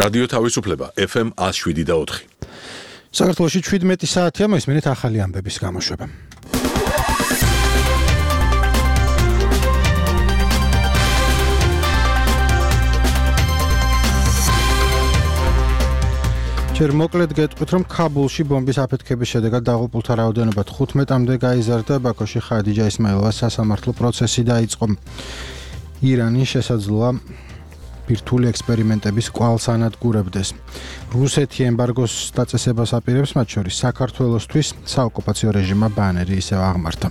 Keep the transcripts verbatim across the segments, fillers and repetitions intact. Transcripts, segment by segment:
რადიო თავისუფლება F M one oh seven და four. საქართველოში შვიდმეტი საათია, მოისმენთ ახალი ამბების გამოშვება. ჯერ მოკლედ გეტყვით, რომ ქაბულში ბომბის აფეთქების შედეგად დაღუპულთა რაოდენობა თხუთმეტამდე გაიზარდა, ბაქოში ხადიჯა ისმაილოვას სასამართლო პროცესი დაიწყო. ირანი შესაძლოა ბირთვული ექსპერიმენტების კვალს ანადგურებდეს. რუსეთი ემბარგოს დაწესებას აპირებს, მათ შორის საქართველოსთვის საოკუპაციო რეჟიმმა ბანერი ისევ აღმართა.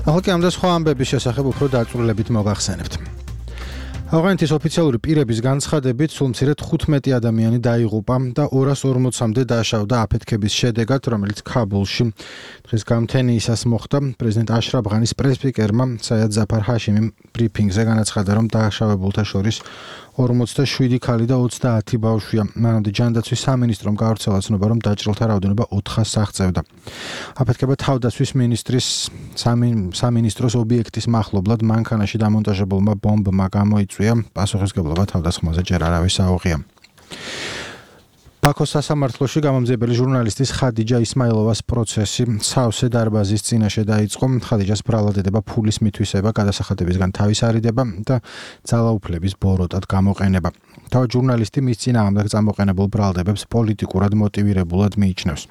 ახლა კი ამ და სხვა ამბების შესახებ უფრო დაწვრილებით მოგახსენებთ. ავღანეთის ოფიციალური პირების განცხადებით, სულ მცირედ თხუთმეტი ადამიანი დაიღუპა და ორას ორმოცამდე დაშავდა აფეთქების შედეგად, რომელიც ქაბულში დღეს გამთენიისას მოხდა. პრეზიდენტ აშრაფ ღანის პრესპიკერმა საიად ზაფარ ჰაშიმიმ ბრიფინგზე განაცხადა, რომ დაშავებულთა შორის ორმოცდაშვიდი ქალი და ოცდაათი ბავშვია. მანამდე ჯანდაცვის სამინისტრომ გაავრცელა ცნობა, რომ დაჭრილთა რაოდენობა ოთხას აღწევდა. აფეთქება თავდაცვის მინისტრის სამინისტროს ობიექტის მახლობლად მანქანაში დამონტაჟებულმა ბომბმა გამოიწვია. პასუხისმგებლობა თავდასხმაზე ჯერ არავის აუღია. ბაქოს სასამართლოში გამომძიებელი ჟურნალისტის ხადიჯა ისმაილოვას პროცესი სავსე დარბაზის წინაშე დაიწყო. ხადიჯას ბრალად ედება ფულის მითვისება, გადასახადებისგან თავის არიდება და ძალაუფლების ბოროტად გამოყენება. თავად ჟურნალისტი მის წინააღმდეგ წამოყენებულ ბრალდებებს პოლიტიკურად მოტივირებულად მიიჩნევს.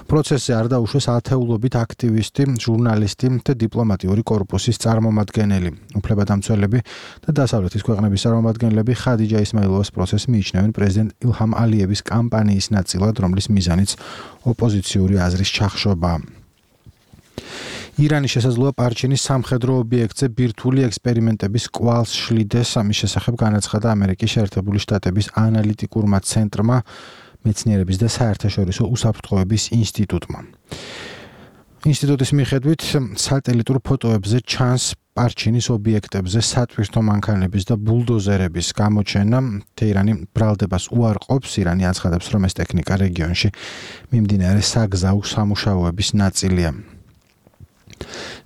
პროცესზე არ დაუშვეს ათეულობით აქტივისტი, ჟურნალისტი და დიპლომატიური კორპუსის წარმომადგენელი. უფლებადამცველები და დასავლეთის ქვეყნების წარმომადგენლები ხადიჯა ისმაილოვას პროცესს მიიჩნევენ პრეზიდენტ ილჰამ ალიევის კამპანიის ნაწილად, რომლის მიზანიც ოპოზიციური აზრის ჩახშობაა. ირანი შესაძლოა პარჩინის სამხედრო ობიექტზე ბირთვული ექსპერიმენტების კვალს შლიდეს. ამის შესახებ განაცხადა ამერიკის შეერთებული შტატების ანალიტიკურმა ცენტრმა, მეცნიერების და საერთაშორისო უსაფრთხოების ინსტიტუტმა. ინსტიტუტის მიხედვით, სატელიტურ ფოტოებზე ჩანს პარჩინის ობიექტებზე სატვირთო მანქანების და ბულდოზერების გამოჩენა. თეირანი ბრალდებას უარყოფს. ირანი აცხადებს, რომ ეს ტექნიკა რეგიონში მიმდინარე საგზაო სამუშაოების ნაწილია.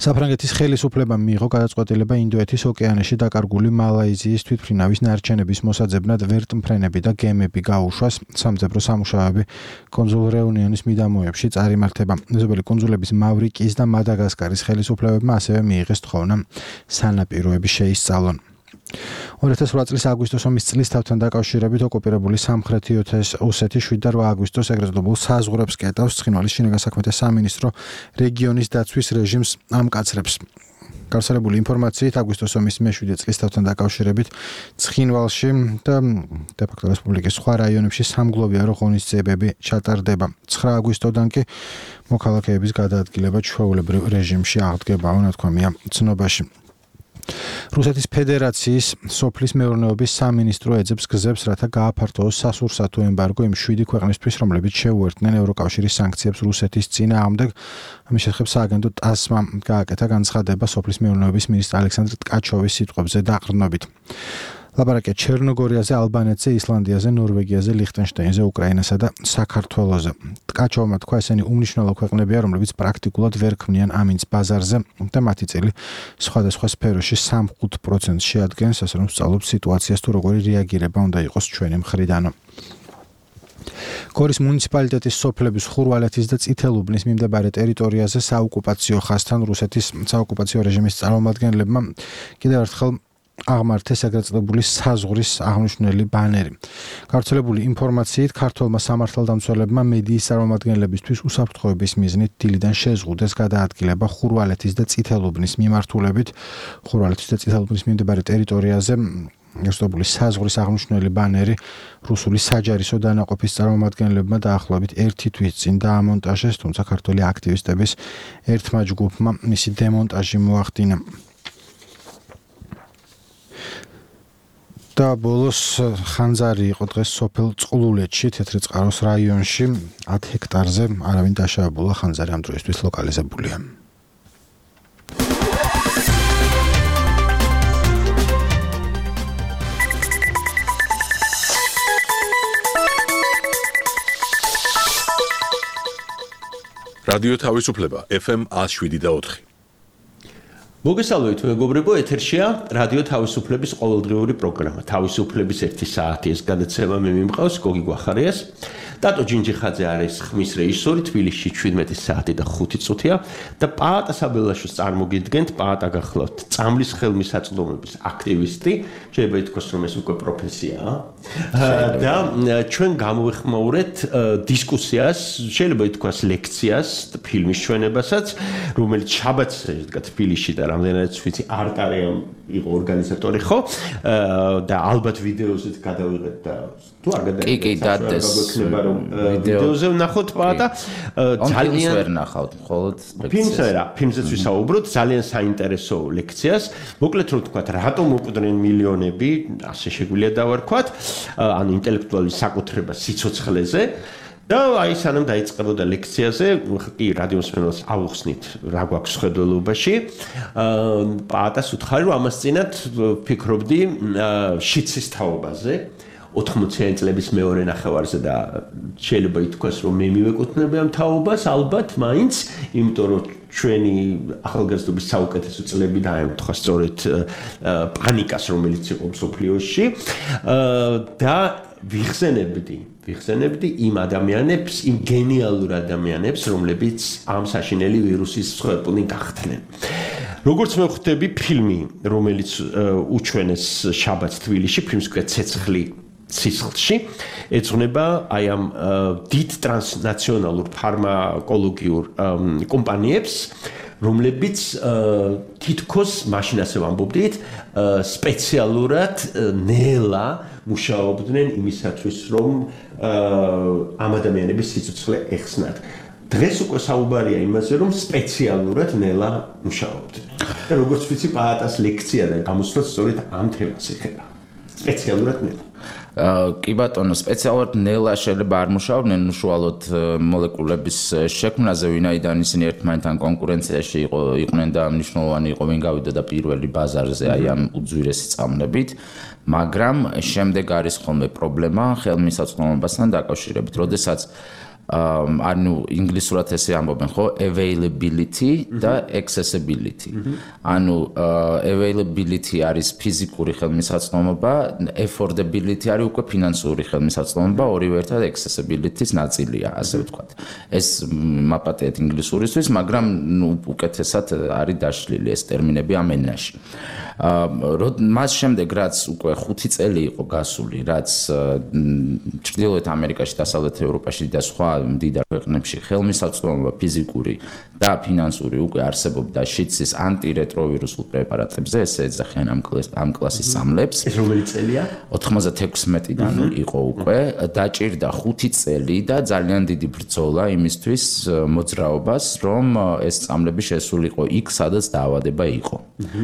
საფრანგეთის ხელისუფლებამ მიიღო გადაწყვეტილება ინდოეთის ოკეანეში დაკარგული მალაიზიის თვითმფრინავის ნარჩენების მოსაძებნად ვერტმფრენები და გემები გაუშვას. სამძებრო სამუშაოები კუნძულ რეუნიონის მიდამოებში წარიმართება. მეზობელი კუნძულების მავრიკიის და მადაგასკარის ხელისუფლებებმა ასევე მიიღეს თხოვნა სანაპიროები შეისწავლონ. ორი ათას ოთხ წლის აგვისტოს ომის წლისთავთან დაკავშირებით ოკუპირებული სამხრეთი ოსეთი შვიდ და რვა აგვისტოს ეგრეთ წოდებულ საზღვრებს კეტავს. ცხინვალის შინაგან საქმეთა სამინისტრო რეგიონის დაცვის რეჟიმს ამკაცრებს. გავრცელებული ინფორმაციით, აგვისტოს ომის მეშვიდე წლისთავთან დაკავშირებით ცხინვალში და დე-ფაქტო რესპუბლიკის სხვა რაიონებში სამგლოვიარო ღონისძიებები ჩატარდება. ცხრა აგვისტოდან კი მოქალაქეების გადაადგილება ჩვეულებრივ რეჟიმში აღდგებაო, ნათქვამია ცნობაში. რუსეთის ფედერაციის სოფლის მეურნეობის სამინისტრო ეძებს გზებს, რათა გააფართოოს სასურსათო ემბარგო იმ შვიდი ქვეყნისთვის, რომლებიც შეუერთდნენ ევროკავშირის სანქციებს რუსეთის წინააღმდეგ. ამის შესახებ სააგენტო ტასმა გააკეთა განცხადება სოფლის მეურნეობის მინისტრ ალექსანდრ ტკაჩოვის სიტყვებზე დაყრდნობით. ლაპარაკია ჩერნოგორიაზე, ალბანეთზე, ისლანდიაზე, ნორვეგიაზე, ლიხტენშტაინზე, უკრაინასა და საქართველოზე. ტკაჩოვმა თქვა, ესენი უმნიშვნელო ქვეყნებია, რომლებიც პრაქტიკულად ვერ ქმნიან ამინდს ბაზარზე და მათი წილი სხვადასხვა სფეროში სამი პროცენტს შეადგენს, ასე რომ სწავლობთ სიტუაციას თუ როგორი რეაგირება უნდა იყოს ჩვენი მხრიდანო. გორის მუნიციპალიტეტის სოფლების ხურვალეთის და წითელუბნის მიმდებარე ტერიტორიაზე საოკუპაციო ხაზთან რუსეთის საოკუპაციო რეჟიმის წარმომადგენლებმა კიდევ ერთხელ აღმართეს ეგრეთ წოდებული საზღვრის აღნიშნული ბანერი. გავრცელებული ინფორმაციით, ქართველმა სამართალდამცველებმა მედიის წარმომადგენლებისთვის უსაფრთხოების მიზნით დილიდან შეზღუდეს გადაადგილება ხურვალეთის და წითელუბნის მიმართულებით. ხურვალეთის და წითელუბნის მიმდებარე ტერიტორიაზე გასწორებული საზღვრის აღნიშნული ბანერი რუსული საჯარისო დანაყოფის წარმომადგენლებმა დაახლოებით ერთი თვის წინ დაამონტაჟეს, თუმცა ქართველი აქტივისტების ერთმა ჯგუფმა მისი დემონტაჟი მოახდინა. და ბოლოს ხანძარი იყო დღეს სოფელ წყლულეთში, თეთრიწყაროს რაიონში, ათ ჰექტარზე არავინ დაშავებულა, ხანძარი ამ დროისთვის ლოკალიზებულია. რადიო თავისუფლება ეფ ემ one oh seven point four. მოგესალმებით მეგობრებო, ეთერშია რადიო თავისუფლების ყოველდღიური პროგრამა. თავისუფლების ერთი საათი ეს გადაცემა მე მიმყავს გოგი გვახარიას. დატო ჯინჯიხაძე არის ხმის რეჟისორი, თბილისში შვიდმეტი საათი და ხუთი წუთია და პაატა საბელაშოს წარმოგიდგენთ. პაატა გახლავთ წამლის ხელმისაწვდომების აქტივისტი, შეიძლება ითქვას რომ ეს უკვე პროფესიაა. და ჩვენ გამოვეხმაურეთ დისკუსიას, შეიძლება ითქვას ლექციას, ფილმის ჩვენებასაც, რომელიც შაბათს შედგა თბილისში და რამდენადაც ვიცი არტარიამ იყო ორგანიზატორი ხო? და ალბათ ვიდეოზით გადავიღეთ და თუ არ გადაიღეთ. კი, კი, დადეს ვიდეოზე ვნახოთ პაატა ძალიან ვერ ნახავთ მხოლოდ ფილმზე რა ფილმზეც ვისაუბროთ ძალიან საინტერესო ლექციას მოკლედ რომ თქვა რატომ უყდრენ მილიონები ასე შეგვიძლია დავარქვათ ანუ ინტელექტუალური საკუთრება სიცოცხლეზე და აი სანამ დაიწყებოდა ლექციაზე კი რადიოს მსმენელს ავუხსნით რა გვაქვს ხედველობაში პაატას უთხარი რომ ამას წინათ ფიქრობდი შიცის თაობაზე ოთხმოციანი წლების მეორე ნახევარზე და შეიძლება ითქვას რომ მე მივეკუთვნები ამ თაობას ალბათ მაინც იმიტომ რომ ჩვენი ახალგაზრდობის საუკეთესო წლები დაემთხვა სწორედ პანიკას რომელიც იყო მსოფლიოში და ვიხსენებდი ვიხსენებდი იმ ადამიანებს იმ გენიალურ ადამიანებს რომლებიც ამ საშინელი ვირუსის მსხვერპლი გახდნენ როგორც მე ხვდები ფილმი რომელიც უჩვენეს შაბათს თბილისში ფილმს ქვია ცეცხლი სისხლში ეძღვნება აი ამ დიდ ტრანსნაციონალურ ფარმაკოლოგიურ კომპანიებს რომლებიც თითქოს მაშინ ასე ვამბობდით სპეციალურად ნელა მუშაობდნენ იმისათვის რომ ამ ადამიანების სიცოცხლე ეხსნათ დღეს უკვე საუბარია იმაზე რომ სპეციალურად ნელა მუშაობდნენ და როგორც ვიცი პაატას ლექცია და გამოსვლა სწორედ ამ თემას ეხება სპეციალურად ნელა კი ბატონო, სპეციალურად ნელა შეიძლება არ მუშაობდნენ უშუალოდ მოლეკულების შექმნაზე, ვინაიდან ისინი ერთმანეთთან კონკურენციაში იყვნენ და მნიშვნელოვანი იყო ვინ გავიდა და პირველი ბაზარზე აი ამ უძვირესი წამლებით, მაგრამ შემდეგ არის ხოლმე პრობლემა ხელმისაწვდომობასთან დაკავშირებით, როდესაც ანუ ინგლისურად ესე ამბობენ ხო availability და accessibility. ანუ availability არის ფიზიკური ხელმისაწვდომობა, affordability არის უკვე ფინანსური ხელმისაწვდომობა, ორივე ერთად accessibility-ს ნაწილია, ასე ვთქვათ. ეს მაპატიეთ ინგლისურისთვის, მაგრამ ნუ უკეთესად არის დაშლილი ეს ტერმინები ამ ენაში. მას შემდეგ რაც უკვე ხუთი წელი იყო გასული, რაც ჩრდილოეთ ამერიკაში, დასავლეთ ევროპაში და სხვა მდიდარ ქვეყნებში ხელმისაწვდომობა ფიზიკური და ფინანსური უკვე არსებობდა შიცის ანტირეტროვირუსულ პრეპარატებზე, ესე ეძახიან ამ ამ კლასის სამლებს. ეს რომელი წელია? ოთხმოცდათექვსმეტიდან იყო უკვე, დაჭირდა ხუთი წელი და ძალიან დიდი ბრძოლა იმისთვის მოძრაობას, რომ ეს სამლები შესულიყო იქ, სადაც დაავადება იყო.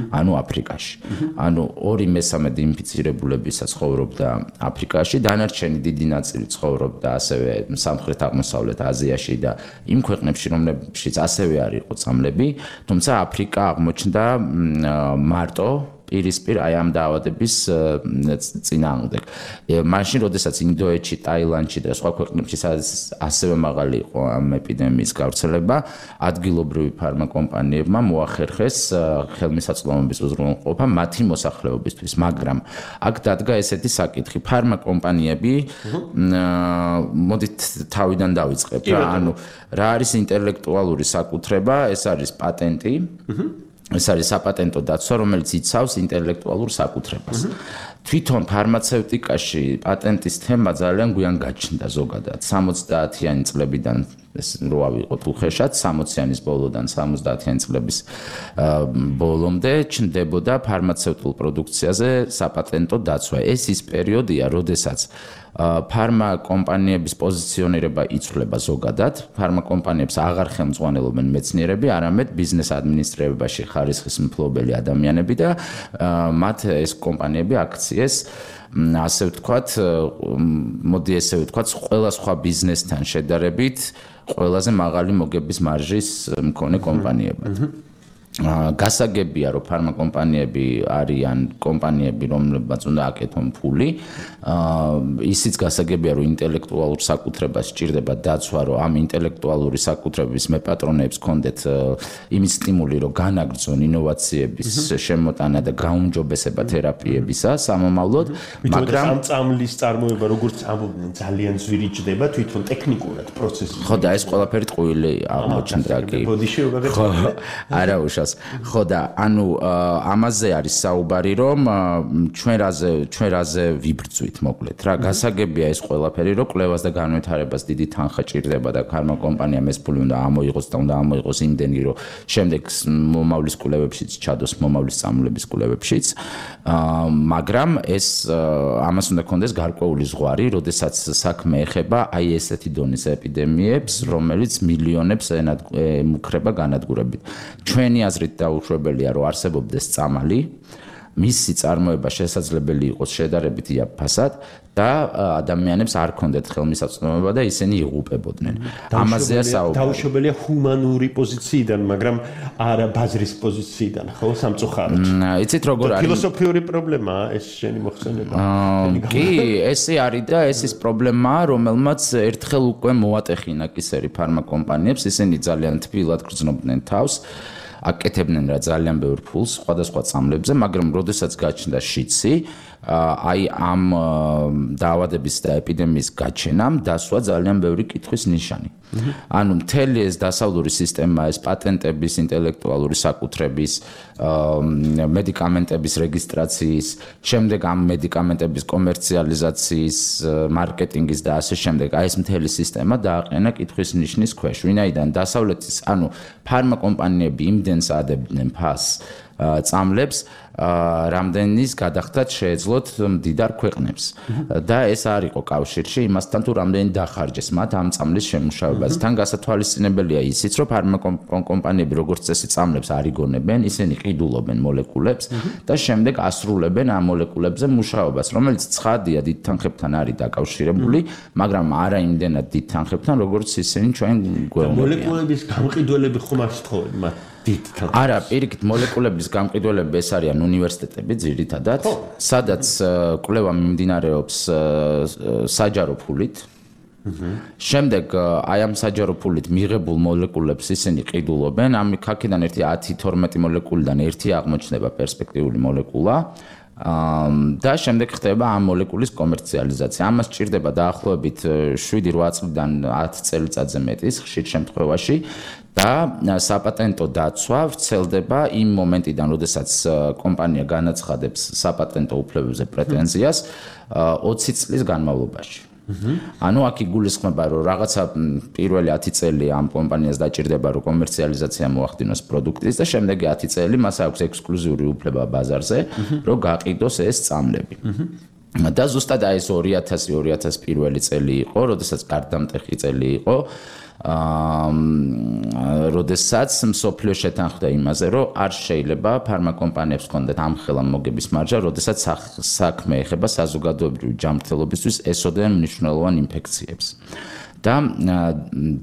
ანუ აფრიკაში. ანუ ორი მესამედი ინფიცირებულებისა ცხოვრობდა აფრიკაში, დანარჩენი დიდი ნაწილი ცხოვრობდა ასევე სამხრეთ აღმოსავლეთ აზიაში და იმ ქვეყნებში, რომლებშიც ასევე არ იყო წამლები, თუმცა აფრიკა აღმოჩნდა მარტო პირისპირ აი ამ დაავადების წინააღმდეგ. მაშინ, როდესაც ინდოეთში, ტაილანდში და სხვა ქვეყნებში ასევე მაღალი იყო ამ ეპიდემიის გავრცელება, ადგილობრივი ფარმაკომპანიებმა მოახერხეს ხელმისაწვდომობის უზრუნველყოფა მათი მოსახლეობისთვის, მაგრამ აქ დადგა ესეთი საკითხი, ფარმაკომპანიები მოდით თავიდან დავიწყებ რა, ანუ რა არის ინტელექტუალური საკუთრება, ეს არის პატენტი. ეს არის საპატენტო დაცვა, რომელიც იცავს ინტელექტუალურ საკუთრებას. თვითონ ფარმაცევტიკაში პატენტის თემა ძალიან გვიან გაჩნდა ზოგადად. სამოცდაათიანი წლებიდან ეს რო ავიღოთ უხეშად, სამოციანის ბოლოდან სამოცდაათიანი წლების ბოლომდე ჩნდებოდა ფარმაცევტულ პროდუქციაზე საპატენტო დაცვა. ეს ის პერიოდია, როდესაც ფარმაკომპანიების პოზიციონირება იცვლება ზოგადად, ფარმაკომპანიებს აღარ ხელმძღვანელობენ მეცნიერები, არამედ ბიზნეს ადმინისტრირებაში ხარისხის მფლობელი ადამიანები და მათ ეს კომპანიები აქციეს ასე ვთქვათ, მოდი ესე ვთქვათ, ყველა სხვა ბიზნესთან შედარებით ყველაზე მაღალი მოგების მარჟის მქონე კომპანიებად. გასაგებია რომ ფარმაკომპანიები არიან კომპანიები რომლებმაც უნდა აკეთონ ფული ისიც გასაგებია რომ ინტელექტუალურ საკუთრებას სჭირდება დაცვა რომ ამ ინტელექტუალური საკუთრების მეპატრონეებს კონდეთ იმის სტიმული რომ განაგრძონ ინოვაციების შემოტანა და გაუმჯობესება თერაპიებისა სამომავლოდ მაგრამ ამ წამლის წარმოება როგორც ამბობდნენ ძალიან ზვირიჭდება თვითონ ტექნიკურად პროცესი ხო და ეს ყველაფერი ტყუილი აღმოჩნდა კი ხო არა უშავს ხო და ანუ ამაზე არის საუბარი რომ ჩვენ რაზე ჩვენ რაზე ვიბრძვით მოკლედ რა გასაგებია ეს ყველაფერი რომ კვლევას და განვითარებას დიდი თანხა ჭირდება და ფარმაკომპანიამ ეს ფული უნდა ამოიღოს და უნდა ამოიღოს იმდენი რომ შემდეგ მომავლის კვლევებშიც ჩადოს მომავლის წამლების კვლევებშიც მაგრამ ეს ამას უნდა კონდეს გარკვეული ზღვარი როდესაც საქმე ეხება აი ესეთი დონის ეპიდემიებს რომელიც მილიონებს ემუქრება განადგურებით ჩვენი აზრით დაუშვებელია რომ არსებობდეს წამალი მისი წარმოება შესაძლებელი იყოს შედარებით იაფფასად და ადამიანებს არ ქონდეთ ხელმისაწვდომობა და ისინი იღუპებოდნენ. ამაზეა საუბარი. დაუშვებელია ჰუმანური პოზიციიდან, მაგრამ არა ბაზრის პოზიციიდან, ხო, სამწუხაროდ. იცით როგორ არის? ფილოსოფიური პრობლემაა ეს შენი მოხსენება. კი, ესე არის და ეს ის პრობლემაა, რომელმაც ერთხელ უკვე მოატეხინა კისერი ფარმაკომპანიებს, ისინი ძალიან თბილად გრძნობდნენ თავს. აკეთებდნენ რა ძალიან ბევრ ფულს სხვადასხვა წამლებზე, მაგრამ როდესაც გაჩნდა შიცი, აი ამ დაავადების და ეპიდემიის გაჩენამ დასვა ძალიან ბევრი კითხვის ნიშანი. ანუ მთელი ეს დასავლური სისტემა, ეს პატენტების, ინტელექტუალური საკუთრების, მედიკამენტების რეგისტრაციის, შემდეგ ამ მედიკამენტების კომერციალიზაციის, მარკეტინგის და ასე შემდეგ, აი ეს მთელი სისტემა დააყენა კითხვის ნიშნის ქვეშ. ვინაიდან დასავლეთის, ანუ ფარმაკომპანიები იმდენს ადებდნენ ფასს წამლებს, რამდენის გადახდათ შეეძლოთ მდიდარ ქვეყნებს. და ეს არ იყო კავშირში იმასთან თუ რამდენი დახარჯეს მათ ამ წამლის შემუშავებას. თან გასათვალისწინებელია ისიც, რომ ფარმაკომპანიები როგორც წესი წამლებს არ იგონებენ, ისინი ყიდულობენ მოლეკულებს და შემდეგ ასრულებენ ამ მოლეკულებზე მუშაობას, რომელიც ცხადია დიდ თანხებთან არის დაკავშირებული, მაგრამ არა იმდენად დიდ თანხებთან, როგორც ისინი ჩვენ გვეუბნებიან. მოლეკულების გამყიდველები ხომ არ სთხოვენ მათ? არა, პირიქით მოლეკულების გამყიდველები ეს არიან უნივერსიტეტები ძირითადად, სადაც კვლევა მიმდინარეობს საჯარო ფულით. შემდეგ აი ამ საჯარო ფულით მიღებულ მოლეკულებს ისინი ყიდულობენ, ამ აქედან ერთი ათი თორმეტი მოლეკულიდან ერთი აღმოჩნდება პერსპექტიული მოლეკულა. და შემდეგ ხდება ამ მოლეკულის კომერციალიზაცია. ამას სჭირდება დაახლოებით შვიდი რვა წლიდან ათი წელიწადზე მეტის ხშირ შემთხვევაში და საპატენტო დაცვა ვრცელდება იმ მომენტიდან, როდესაც კომპანია განაცხადებს საპატენტო უფლებებზე პრეტენზიას ოცი წლის განმავლობაში. ანუ აქ იგულისხმება, რომ რაღაცა პირველი ათი წელი ამ კომპანიას დაჭირდება, რომ კომერციალიზაცია მოახდინოს პროდუქტის და შემდეგი ათი წელი მას აქვს ექსკლუზიური უფლება ბაზარზე, რომ გაყიდოს ეს წამლები. და ზუსტად აი ეს ორი ათასი ორი ათასი პირველი წელი იყო, როდესაც გარდამტეხი წელი იყო. აა როდესაც მსოფლიო შეთანხმდა იმაზე, რომ არ შეიძლება ფარმაკომპანიებს ჰქონდეთ ამხელა მოგების მარჯა, როდესაც საქმე ეხება საზოგადოებრივი ჯანმრთელობისთვის ესოდენ მნიშვნელოვან ინფექციებს. და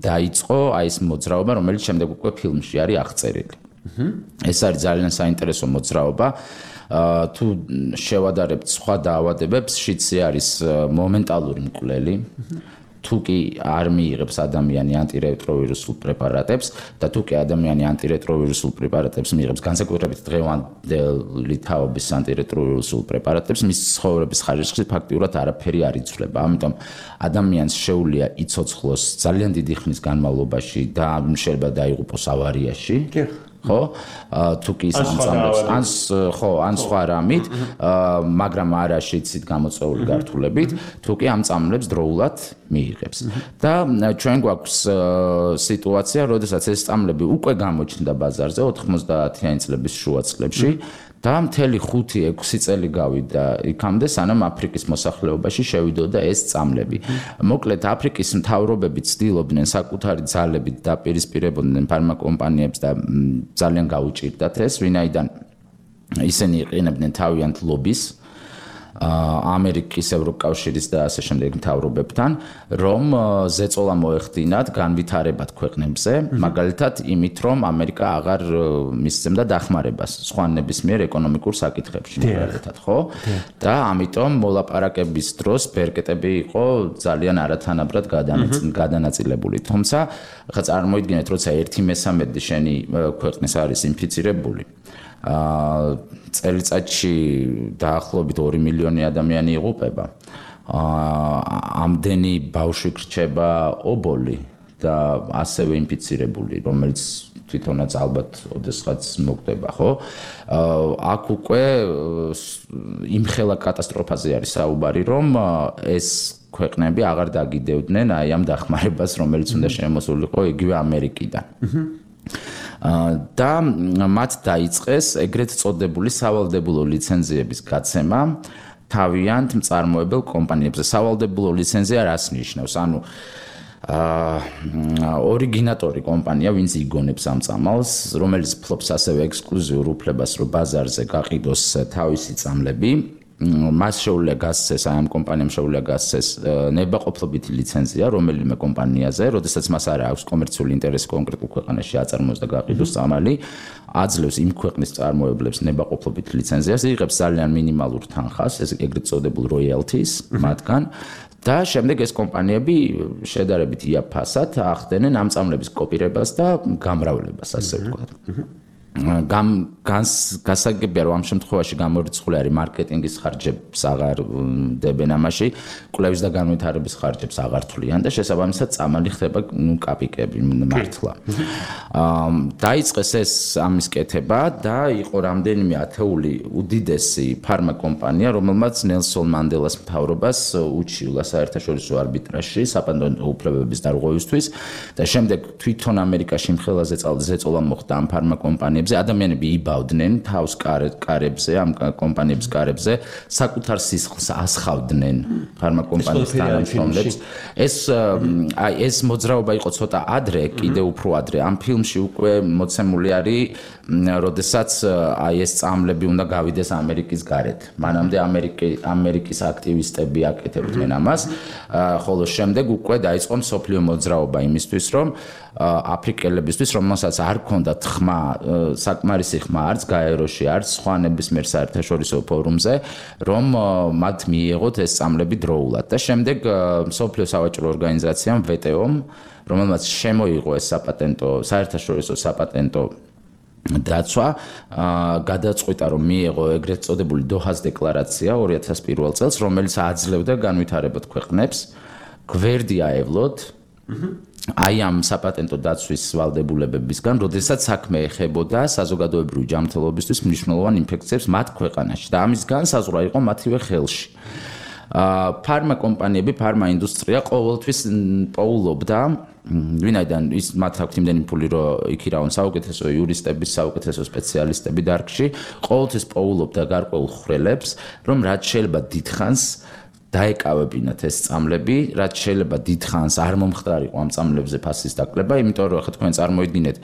დაიწყო აი ეს მოძრაობა, რომელიც შემდეგ უკვე ფილმში არის აღწერილი. ეს არის ძალიან საინტერესო მოძრაობა. თუ შევადარებთ სხვა დაავადებებს, შიცი არის მომენტალური მკვლელი. თუ კი არ მიიღებს ადამიანი ანტირეტროვირუსულ პრეპარატებს და თუ კი ადამიანი ანტირეტროვირუსულ პრეპარატებს მიიღებს, განსაკუთრებით დღევანდელი თაობის ანტირეტროვირუსულ პრეპარატებს, მის ცხოვრების ხარისხში ფაქტიურად არაფერი არ იცვლება. ამიტომ ადამიანს შეუძლია იცოცხლოს ძალიან დიდი ხნის განმავლობაში და შეიძლება დაიღუპოს ავარიაში. ხო? თუ კი ის ამწამლებს, ან ხო, ან სხვა რამით, მაგრამ არა შიცით გამოწვეული გართულებით, თუ კი ამწამლებს დროულად მიიღებს. და ჩვენ გვაქვს სიტუაცია, როდესაც ეს წამლები უკვე გამოჩნდა ბაზარზე ოთხმოცდაათიანი წლების შუა წლებში და მთელი ხუთი ექვსი წელი გავიდა იქამდე, სანამ აფრიკის მოსახლეობაში შევიდოდა ეს წამლები. მოკლედ, აფრიკის მთავრობები ცდილობდნენ საკუთარი ძალებით დაპირისპირებოდნენ ფარმაკომპანიებს და ძალიან გაუჭირდათ ეს, ვინაიდან ისინი იყენებდნენ თავიანთ ლობის ამერიკის ევროკავშირის და ასე შემდეგ მთავრობებთან, რომ ზეწოლა მოეხდინათ განვითარებად ქვეყნებზე, მაგალითად იმით, რომ ამერიკა აღარ მისცემდა დახმარებას სხვა ნებისმიერ ეკონომიკურ საკითხებში, მაგალითად, ხო? და ამიტომ მოლაპარაკების დროს ბერკეტები იყო ძალიან არათანაბრად გადანაწილებული. თუმცა, ხა წარმოიდგინეთ, როცა ერთი მესამედი შენი ქვეყნის არის ინფიცირებული, აა წელიწადში დაახლოებით ორი მილიონი ადამიანი იღუპება. აა ამდენი ბავშვი გრჩება ობოლი და ასევე ინფიცირებული, რომელიც თვითონაც ალბათ ოდესღაც მოკვდება, ხო? აქ უკვე იმხელა კატასტროფაზე არის საუბარი, რომ ეს ქვეყნები აღარ დაგიდევდნენ აი ამ დახმარებას, რომელიც უნდა შემოსულიყო იგივე ამერიკიდან. და მათ დაიწყეს ეგრეთ წოდებული სავალდებულო ლიცენზიების გაცემა თავიანთ მწარმოებელ კომპანიებზე. სავალდებულო ლიცენზია რას ნიშნავს? ანუ აა ორიგინატორი კომპანია, ვინც იგონებს ამ წამალს, რომელიც ფლობს ასევე ექსკლუზიურ უფლებას, რომ ბაზარზე გაყიდოს თავისი წამლები. მას შეუძლია გასცეს, აი ამ კომპანიამ შეუძლია გასცეს ნებაყოფლობითი ლიცენზია რომელიმე კომპანიაზე, როდესაც მას არ აქვს კომერციული ინტერესი კონკრეტულ ქვეყანაში აწარმოოს და გაყიდოს წამალი, აძლევს იმ ქვეყნის წარმოებლებს ნებაყოფლობით ლიცენზიას, იღებს ძალიან მინიმალურ თანხას, ეს ეგრეთ წოდებულ royalties მათგან. და შემდეგ ეს კომპანიები შედარებით იაფასად ახდენენ ამ წამლების კოპირებას და გამრავლებას, ასე ვთქვათ. გამ გასაგებია რომ ამ შემთხვევაში გამორიცხული არის მარკეტინგის ხარჯებს აღარ დებენ ამაში, კვლევის და განვითარების ხარჯებს აღარ თვლიან და შესაბამისად წამალი ხდება კაპიკები მართლა. დაიწყეს ეს ამის კეთება და იყო რამდენიმე ათეული უდიდესი ფარმა კომპანია, რომელმაც ნელსონ მანდელას მთავრობას უჩივლა საერთაშორისო არბიტრაჟში საპატენტო უფლებების დარღვევისთვის და შემდეგ თვითონ ამერიკაში მხელაზე ზეწოლა მოხდა ამ ფარმა კომპანიებს. ადამიანები იბავდნენ თავს კარებზე, ამ კომპანიების კარებზე, საკუთარ სისხლს ასხავდნენ ფარმა კომპანიის თანამშრომლებს. ეს აი ეს მოძრაობა იყო ცოტა ადრე, კიდე უფრო ადრე. ამ ფილმში უკვე მოცემული არის, როდესაც აი ეს წამლები უნდა გავიდეს ამერიკის გარეთ. მანამდე ამერიკის აქტივისტები აკეთებდნენ ამას, ხოლო შემდეგ უკვე დაიწყო მსოფლიო მოძრაობა იმისთვის, რომ აფრიკელებისთვის, რომელსაც არ ჰქონდათ ხმა, საკმარისი ხმა არც გაეროში, არც სხვა ნებისმიერ საერთაშორისო ფორუმზე, რომ მათ მიიღოთ ეს წამლები დროულად. და შემდეგ მსოფლიო სავაჭრო ორგანიზაციამ ვე ტე ომ, რომელმაც შემოიღო ეს საპატენტო, საერთაშორისო საპატენტო დაცვა, გადაწყვიტა, რომ მიიღო ეგრეთ წოდებული დოჰას დეკლარაცია ორი ათას პირველ წელს, რომელიც აძლევდა განვითარებად ქვეყნებს გვერდი აევლოთ აი ამ საპატენტო დაცვის ვალდებულებებისგან, როდესაც საქმე ეხებოდა საზოგადოებრივი ჯანმრთელობისთვის მნიშვნელოვან ინფექციებს მათ ქვეყანაში და ამის განსაზღვრა იყო მათივე ხელში. ფარმა კომპანიები, ფარმა ინდუსტრია ყოველთვის პოულობდა, ვინაიდან ის მათ აქვს იმდენი ფული, რომ იქირავენ საუკეთესო იურისტები, საუკეთესო სპეციალისტები დარგში, ყოველთვის პოულობდა გარკვეულ ხვრელებს, რომ რაც შეიძლება დიდხანს დაეკავებინათ ეს წამლები, რაც შეიძლება დიდხანს არ მომხდარიყო ამ წამლებზე ფასის დაკლება, იმიტომ რომ ხა თქვენ წარმოიდგინეთ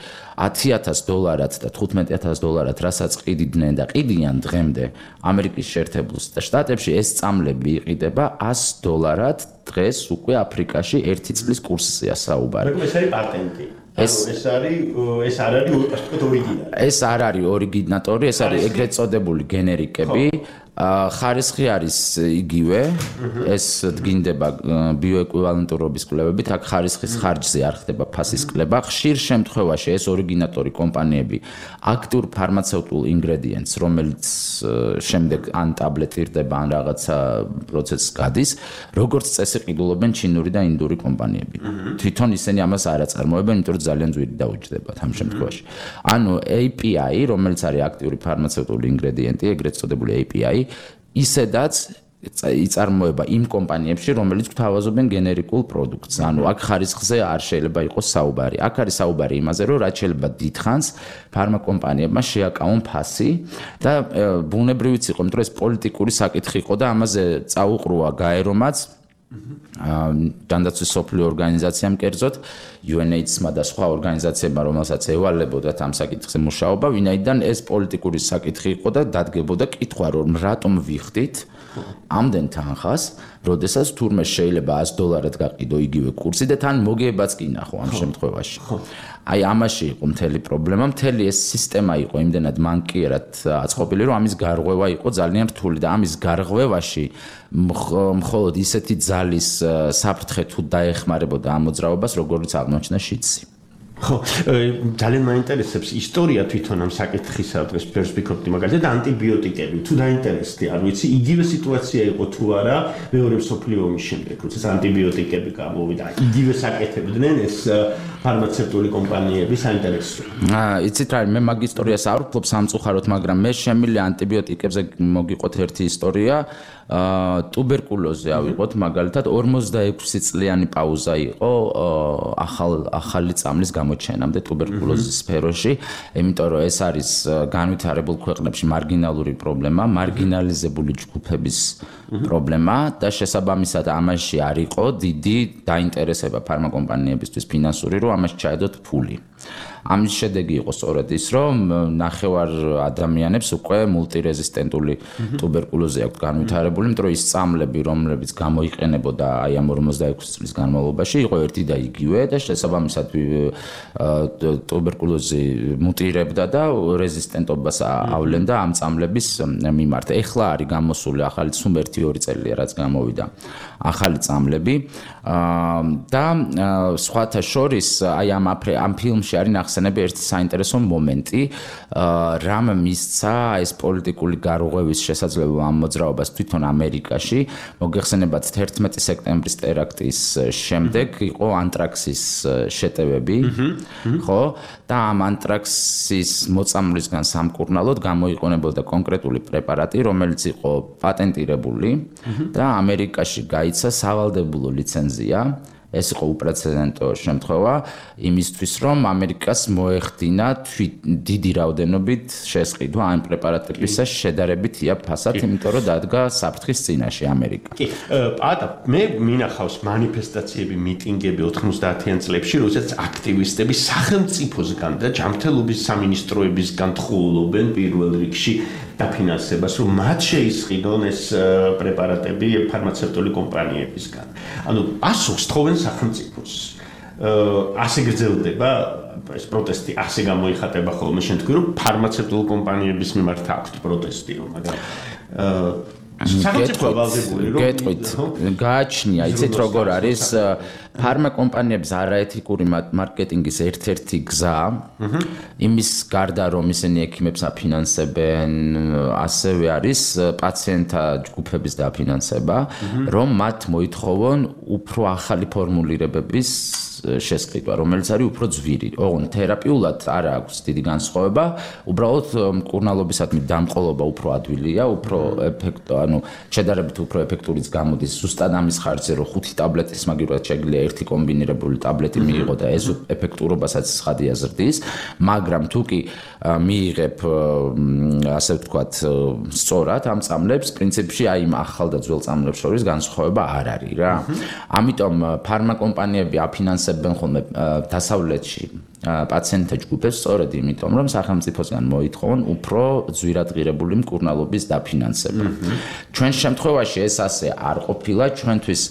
ათი ათას დოლარად და თხუთმეტი ათას დოლარად, რასაც ყიდიდნენ და ყიდიან დღემდე ამერიკის შეერთებულ შტატებში, ეს წამლები იყიდება ას დოლარად დღეს უკვე აფრიკაში ერთი წლის კურსზეა საუბარი. ეს არის პატენტი. ეს ეს არის ეს არ არის ორიგინალი. ეს არ არის ორიგინატორი, ეს არის ეგრეთ წოდებული გენერიკები. ხარისხი არის იგივე, ეს დგინდება ბიოეკვივალენტურობის კვლევებით, აქ ხარისხის ხარჯზე არ ხდება ფასის კლება. ხშირ შემთხვევაში ეს ორიგინატორი კომპანიები აქტიურ ფარმაცევტულ ინგრედიენტს, რომელიც შემდეგ ან ტაბლეტირდება, ან რაღაცა პროცესს გადის, როგორც წესი ყიდულობენ ჩინური და ინდური კომპანიები. თვითონ ისინი ამას არ აწარმოებენ, იმიტომ რომ ძალიან ძვირი დაუჯდებათ ამ შემთხვევაში. ანუ έი პი აი, რომელიც არის აქტიური ფარმაცევტული ინგრედიენტი, ეგრეთ წოდებული έი პი აი, ისედაც იწარმოება იმ კომპანიებში, რომელიც გვთავაზობენ გენერიკულ პროდუქტს. ანუ აქ ხარისხზე არ შეიძლება იყოს საუბარი. აქ არის საუბარი იმაზე, რომ რაც შეიძლება დიდხანს ფარმა კომპანიებმა შეაკავონ ფასი და ბუნებრივიც იყო, იმიტომ რომ ეს პოლიტიკური საკითხი იყო და ამაზე წაუყრუა გაერომაც. ჯანდაცვის სოფლიო ორგანიზაციამ კერძოდ U N AIDS-მა და სხვა ორგანიზაციებმა, რომელსაც ევალებოდათ ამ საკითხზე მუშაობა, ვინაიდან ეს პოლიტიკური საკითხი იყო და დადგებოდა კითხვა, რომ რატომ ვიხდით ამდენ თანხას, როდესაც თურმე შეიძლება ას დოლარად გაყიდო იგივე კურსი და თან მოგებაც კი ნახო ამ შემთხვევაში. აი ამაში იყო მთელი პრობლემა, მთელი ეს სისტემა იყო იმდენად მანკიერად აწყობილი, რომ ამის გარღვევა იყო ძალიან რთული და ამის გარღვევაში მხოლოდ ისეთი ძალის საფრთხე თუ დაეხმარებოდა ამ მოძრაობას, როგორც აღმოჩნდა შიდსი. ხო, ძალიან მაინტერესებს ისტორია თვითონ ამ საკითხისა, დღეს ფერს ვფიქრობდი მაგალითად ანტიბიოტიკები, თუ დაინტერესდი, არ ვიცი, იგივე სიტუაცია იყო თუ არა მეორე მსოფლიო ომის შემდეგ, როდესაც ანტიბიოტიკები გამოვიდა, იგივე საკეთებდნენ ეს ფარმაცევტული კომპანიები საინტერესო. აა, იცით რა, მე მაგ ისტორიას არ ვფლობ სამწუხაროდ, მაგრამ მე შემილი ანტიბიოტიკებზე მოგიყოთ ერთი ისტორია. აა ტუბერკულოზზე ავიღოთ მაგალითად ორმოცდაექვსი წლიანი პაუზა იყო ახალ ახალი წამლის გამოჩენამდე ტუბერკულოზის სფეროში, იმიტომ რომ ეს არის განვითარებულ ქვეყნებში მარგინალური პრობლემა, მარგინალიზებული ჯგუფების პრობლემა და შესაბამისად ამაში არ იყო დიდი დაინტერესება ფარმაკომპანიებისთვის ფინანსური, რომ ამაში ჩაედოთ ფული. ამის შედეგი იყო სწორედ ის, რომ ნახევარ ადამიანებს უკვე მულტირეზისტენტული ტუბერკულოზი აქვს განვითარებული, იმიტომ რომ ის წამლები, რომლებიც გამოიყენებოდა აი ამ ორმოცდაექვსი წლის განმავლობაში, იყო ერთი და იგივე და შესაბამისად ტუბერკულოზი მუტირებდა და რეზისტენტობას ავლენდა ამ წამლების მიმართ. ეხლა არის გამოსული ახალი სულ ერთი ორი წელია, რაც გამოვიდა ახალი წამლები და სხვათა შორის აი ამ ამ ფილმში არის ნახსენები ერთი საინტერესო მომენტი, რამ მისცა ეს პოლიტიკური გარღვევის შესაძლებლობა ამ მოძრაობას თვითონ ამერიკაში. მოგეხსენებათ თერთმეტი სექტემბრის ტერაქტის შემდეგ იყო ანტრაქსის შეტევები, ხო? და ამ ანტრაქსის მოწამვლისგან სამკურნალოდ გამოიყენებოდა კონკრეტული პრეპარატი, რომელიც იყო პატენტირებული და ამერიკაში გაიცა სავალდებულო ლიცენზია. ეს იყო უპრეცედენტო შემთხვევა იმისთვის, რომ ამერიკას მოეხდინა დიდი რაოდენობით შესყიდვა ამ პრეპარატებისა შედარებით ია ფასად, იმიტომ რომ დადგა საფრთხის წინაშე ამერიკა. კი, პატა, მე მინახავს მანიფესტაციები, მიტინგები ოთხმოცდაათიან წლებში, როდესაც აქტივისტები სახელმწიფოსგან და ჯანმრთელობის სამინისტროებისგან თხოვნობენ პირველ რიგში დაფინანსებას, რომ მათ შეისყიდონ ეს პრეპარატები ფარმაცევტული კომპანიებისგან. ანუ პასუხს თხოვენ სახელმწიფოს. ასე გრძელდება ეს პროტესტი, ასე გამოიხატება ხოლმე შენ თქვი, რომ ფარმაცევტულ კომპანიების მიმართ აქვს პროტესტი, რომ მაგრამ სახელმწიფო ვალდებული რომ გეტყვით, გააჩნია, იცით როგორ არის ფარმაკომპანიების არაეთიკური მარკეტინგის ერთ-ერთი გზა, იმის გარდა რომ ისინი ექიმებს აფინანსებენ, ასევე არის პაციენტთა ჯგუფების დაფინანსება, რომ მათ მოითხოვონ უფრო ახალი ფორმულირებების შესყიდვა, რომელიც არის უფრო ძვირი. ოღონდ თერაპიულად არ აქვს დიდი განსხვავება, უბრალოდ მკურნალობისადმი დამყოლობა უფრო ადვილია, უფრო ეფექტო, ანუ შედარებით უფრო ეფექტურიც გამოდის. ზუსტად ამის ხარჯზე, რომ ხუთი ტაბლეტის მაგივრად შეგვიძლია ერთი კომბინირებული ტაბლეტი მიიღო და ეს ეფექტურობასაც ცხადია ზრდის, მაგრამ თუ კი მიიღებ ასე ვთქვათ სწორად ამ წამლებს, პრინციპში აი იმ ახალ და ძველ წამლებს შორის განსხვავება არ არის რა. ამიტომ ფარმაკომპანიები აფინანსებენ ხოლმე დასავლეთში პაციენტთა ჯგუფებს სწორედ იმიტომ, რომ სახელმწიფოსგან მოითხოვონ უფრო ძვირადღირებული მკურნალობის დაფინანსება. ჩვენ შემთხვევაში ეს ასე არ ყოფილა, ჩვენთვის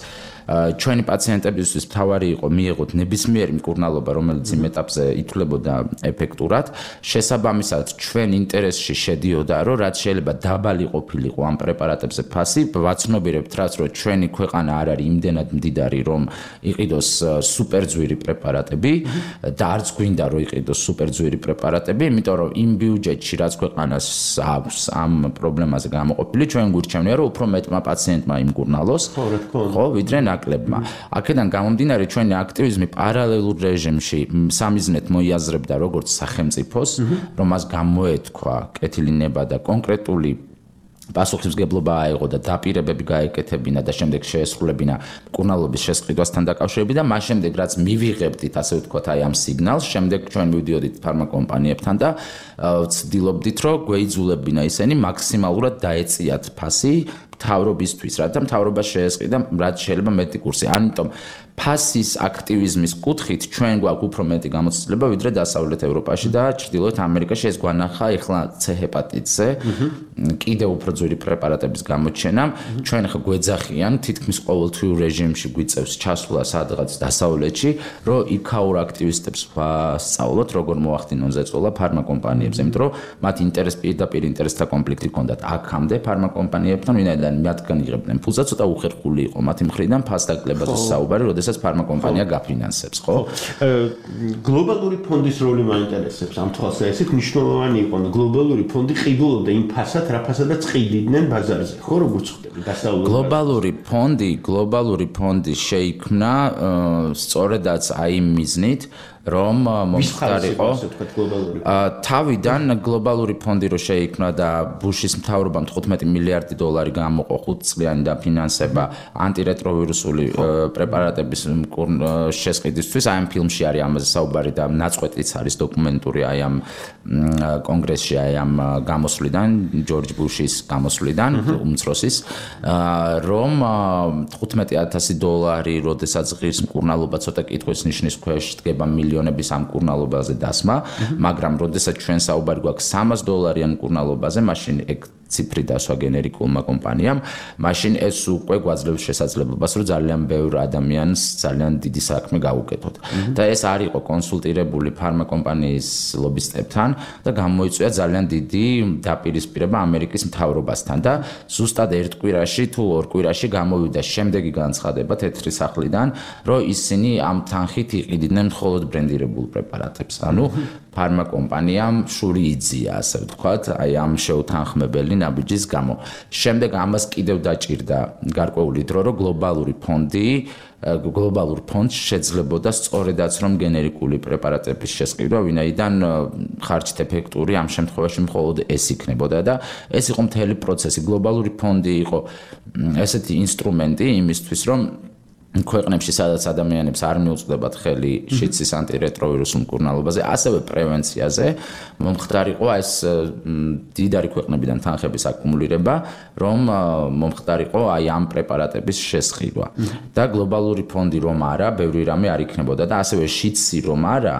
ჩვენი პაციენტებისთვის მთავარი იყო მიიღოთ ნებისმიერი მკურნალობა, რომელიც იმ ეტაპზე ითვლებოდა ეფექტურად. შესაბამისად, ჩვენ ინტერესში შედიოდა, რომ რაც შეიძლება დაბალი ყოფილიყო ამ პრეპარატებზე ფასი, ვაცნობიერებთ რაც, რომ ჩვენი ქვეყანა არ არის იმდენად მდიდარი, რომ იყიდოს სუპერძვირი პრეპარატები და არც გვინდა რომ იყიდოს სუპერძვირი პრეპარატები, იმიტომ რომ იმ ბიუჯეტში რაც ქვეყანას აქვს ამ პრობლემაზე გამოყოფილი, ჩვენ გვირჩევნია, რომ უფრო მეტმა პაციენტმა იმკურნალოს, ხო, ვიდრე ნაკლებმა. აქედან გამომდინარე ჩვენი აქტივიზმი პარალელურ რეჟიმში სამიზნედ მოიაზრებდა როგორც სახელმწიფოს, რომ მას გამოეთქვა კეთილინება და კონკრეტული პასუხისმგებლობა აიღო და დაპირებები გაეკეთებინა და შემდეგ შეესრულებინა მკურნალობის შესყიდვასთან დაკავშირებით და მას შემდეგ რაც მივიღებდით ასე ვთქვათ აი ამ სიგნალს, შემდეგ ჩვენ მივდიოდით ფარმაკომპანიებთან და ვცდილობდით რომ გვეიძულებინა ისინი მაქსიმალურად დაეწიათ ფასი მთავრობისთვის, რათა მთავრობა შეესყიდა რაც შეიძლება მეტი კურსი. ამიტომ ფასის აქტივიზმის კუთხით ჩვენ გვაქვს უფრო მეტი გამოცდილება ვიდრე დასავლეთ ევროპაში და ჩრდილოეთ ამერიკაში ეს გვანახა ეხლა C ჰეპატიტზე კიდევ უფრო ძვირი პრეპარატების გამოჩენამ ჩვენ ხა გვეძახიან თითქმის ყოველთვიურ რეჟიმში გვიწევს ჩასვლა სადღაც დასავლეთში რომ იქაურ აქტივისტებს ვასწავლოთ როგორ მოახდინონ ზეწოლა ფარმაკომპანიებს იმიტომ რომ მათ ინტერეს პირდაპირ ინტერესთა კონფლიქტი ჰქონდათ აქამდე ფარმაკომპანიებთან ვინაიდან მათგან იღებდნენ ფულს და ცოტა უხერხული იყო მათი მხრიდან ფასდაკლებაზე საუბარი როდესაც ფარმაკომპანია გაფინანსებს ხო გლობალური ფონდის როლი მაინტერესებს ამ თვალსაზრისით მნიშვნელოვანი იყო გლობალური ფონდი ყიდულობდა იმ ფასად რა ფასადაც ყიდიდნენ ბაზარზე ხო როგორც ხდება დასავლურ გლობალური ფონდი გლობალური ფონდი შეიქმნა სწორედაც აი მიზნით რომ მომხდარიყო თავიდან გლობალური ფონდი რო შეიქმნა და ბუშის მთავრობამ თხუთმეტი მილიარდი დოლარი გამოყო ხუთწლიანი დაფინანსება ანტირეტროვირუსული პრეპარატების შესყიდვისთვის აი ამ ფილმში არის ამაზე საუბარი და ნაწყვეტიც არის დოკუმენტური აი ამ კონგრესში აი ამ გამოსვლიდან ჯორჯ ბუშის გამოსვლიდან უმცროსის რომ თხუთმეტი ათასი დოლარი როდესაც ღირს მკურნალობა ცოტა კითხვის ნიშნის ქვეშ დგება მილიონების ამ მკურნალობაზე დასმა, მაგრამ როდესაც ჩვენ საუბარი გვაქვს სამას დოლარიან მკურნალობაზე, მაშინ ეგ ციფრი დასვა გენერიკულმა კომპანიამ, მაშინ ეს უკვე გვაძლევს შესაძლებლობას, რომ ძალიან ბევრ ადამიანს ძალიან დიდი საქმე გაუკეთოთ. და ეს არ იყო კონსულტირებული ფარმაკომპანიის ლობისტებთან და გამოიწვია ძალიან დიდი დაპირისპირება ამერიკის მთავრობასთან და ზუსტად ერთ კვირაში თუ ორ კვირაში გამოვიდა შემდეგი განცხადება თეთრი სახლიდან, რომ ისინი ამ თანხით იყიდნენ მხოლოდ ბრენდირებულ პრეპარატებს. ანუ ფარმაკომპანიამ შური იძია, ასე ვთქვათ, აი ამ შეუთანხმებელი ნაბიჯის გამო. შემდეგ ამას კიდევ დაჭირდა გარკვეული დრო, რომ გლობალური ფონდი, გლობალურ ფონდს შეძლებოდა სწორედაც რომ გენერიკული პრეპარატების შესყიდვა, ვინაიდან ხარჯით ეფექტური ამ შემთხვევაში მხოლოდ ეს იქნებოდა და ეს იყო მთელი პროცესი. გლობალური ფონდი იყო ესეთი ინსტრუმენტი იმისთვის, რომ ქვეყნებში სადაც ადამიანებს არ მიუწვდებათ ხელი შიცის ანტირეტროვირუსულ მკურნალობაზე, ასევე პრევენციაზე, მომხდარიყო ეს დიდარი ქვეყნებიდან თანხების აკუმულირება, რომ მომხდარიყო აი ამ პრეპარატების შესყიდვა. და გლობალური ფონდი რომ არა, ბევრი რამე არ იქნებოდა და ასევე შიცი რომ არა,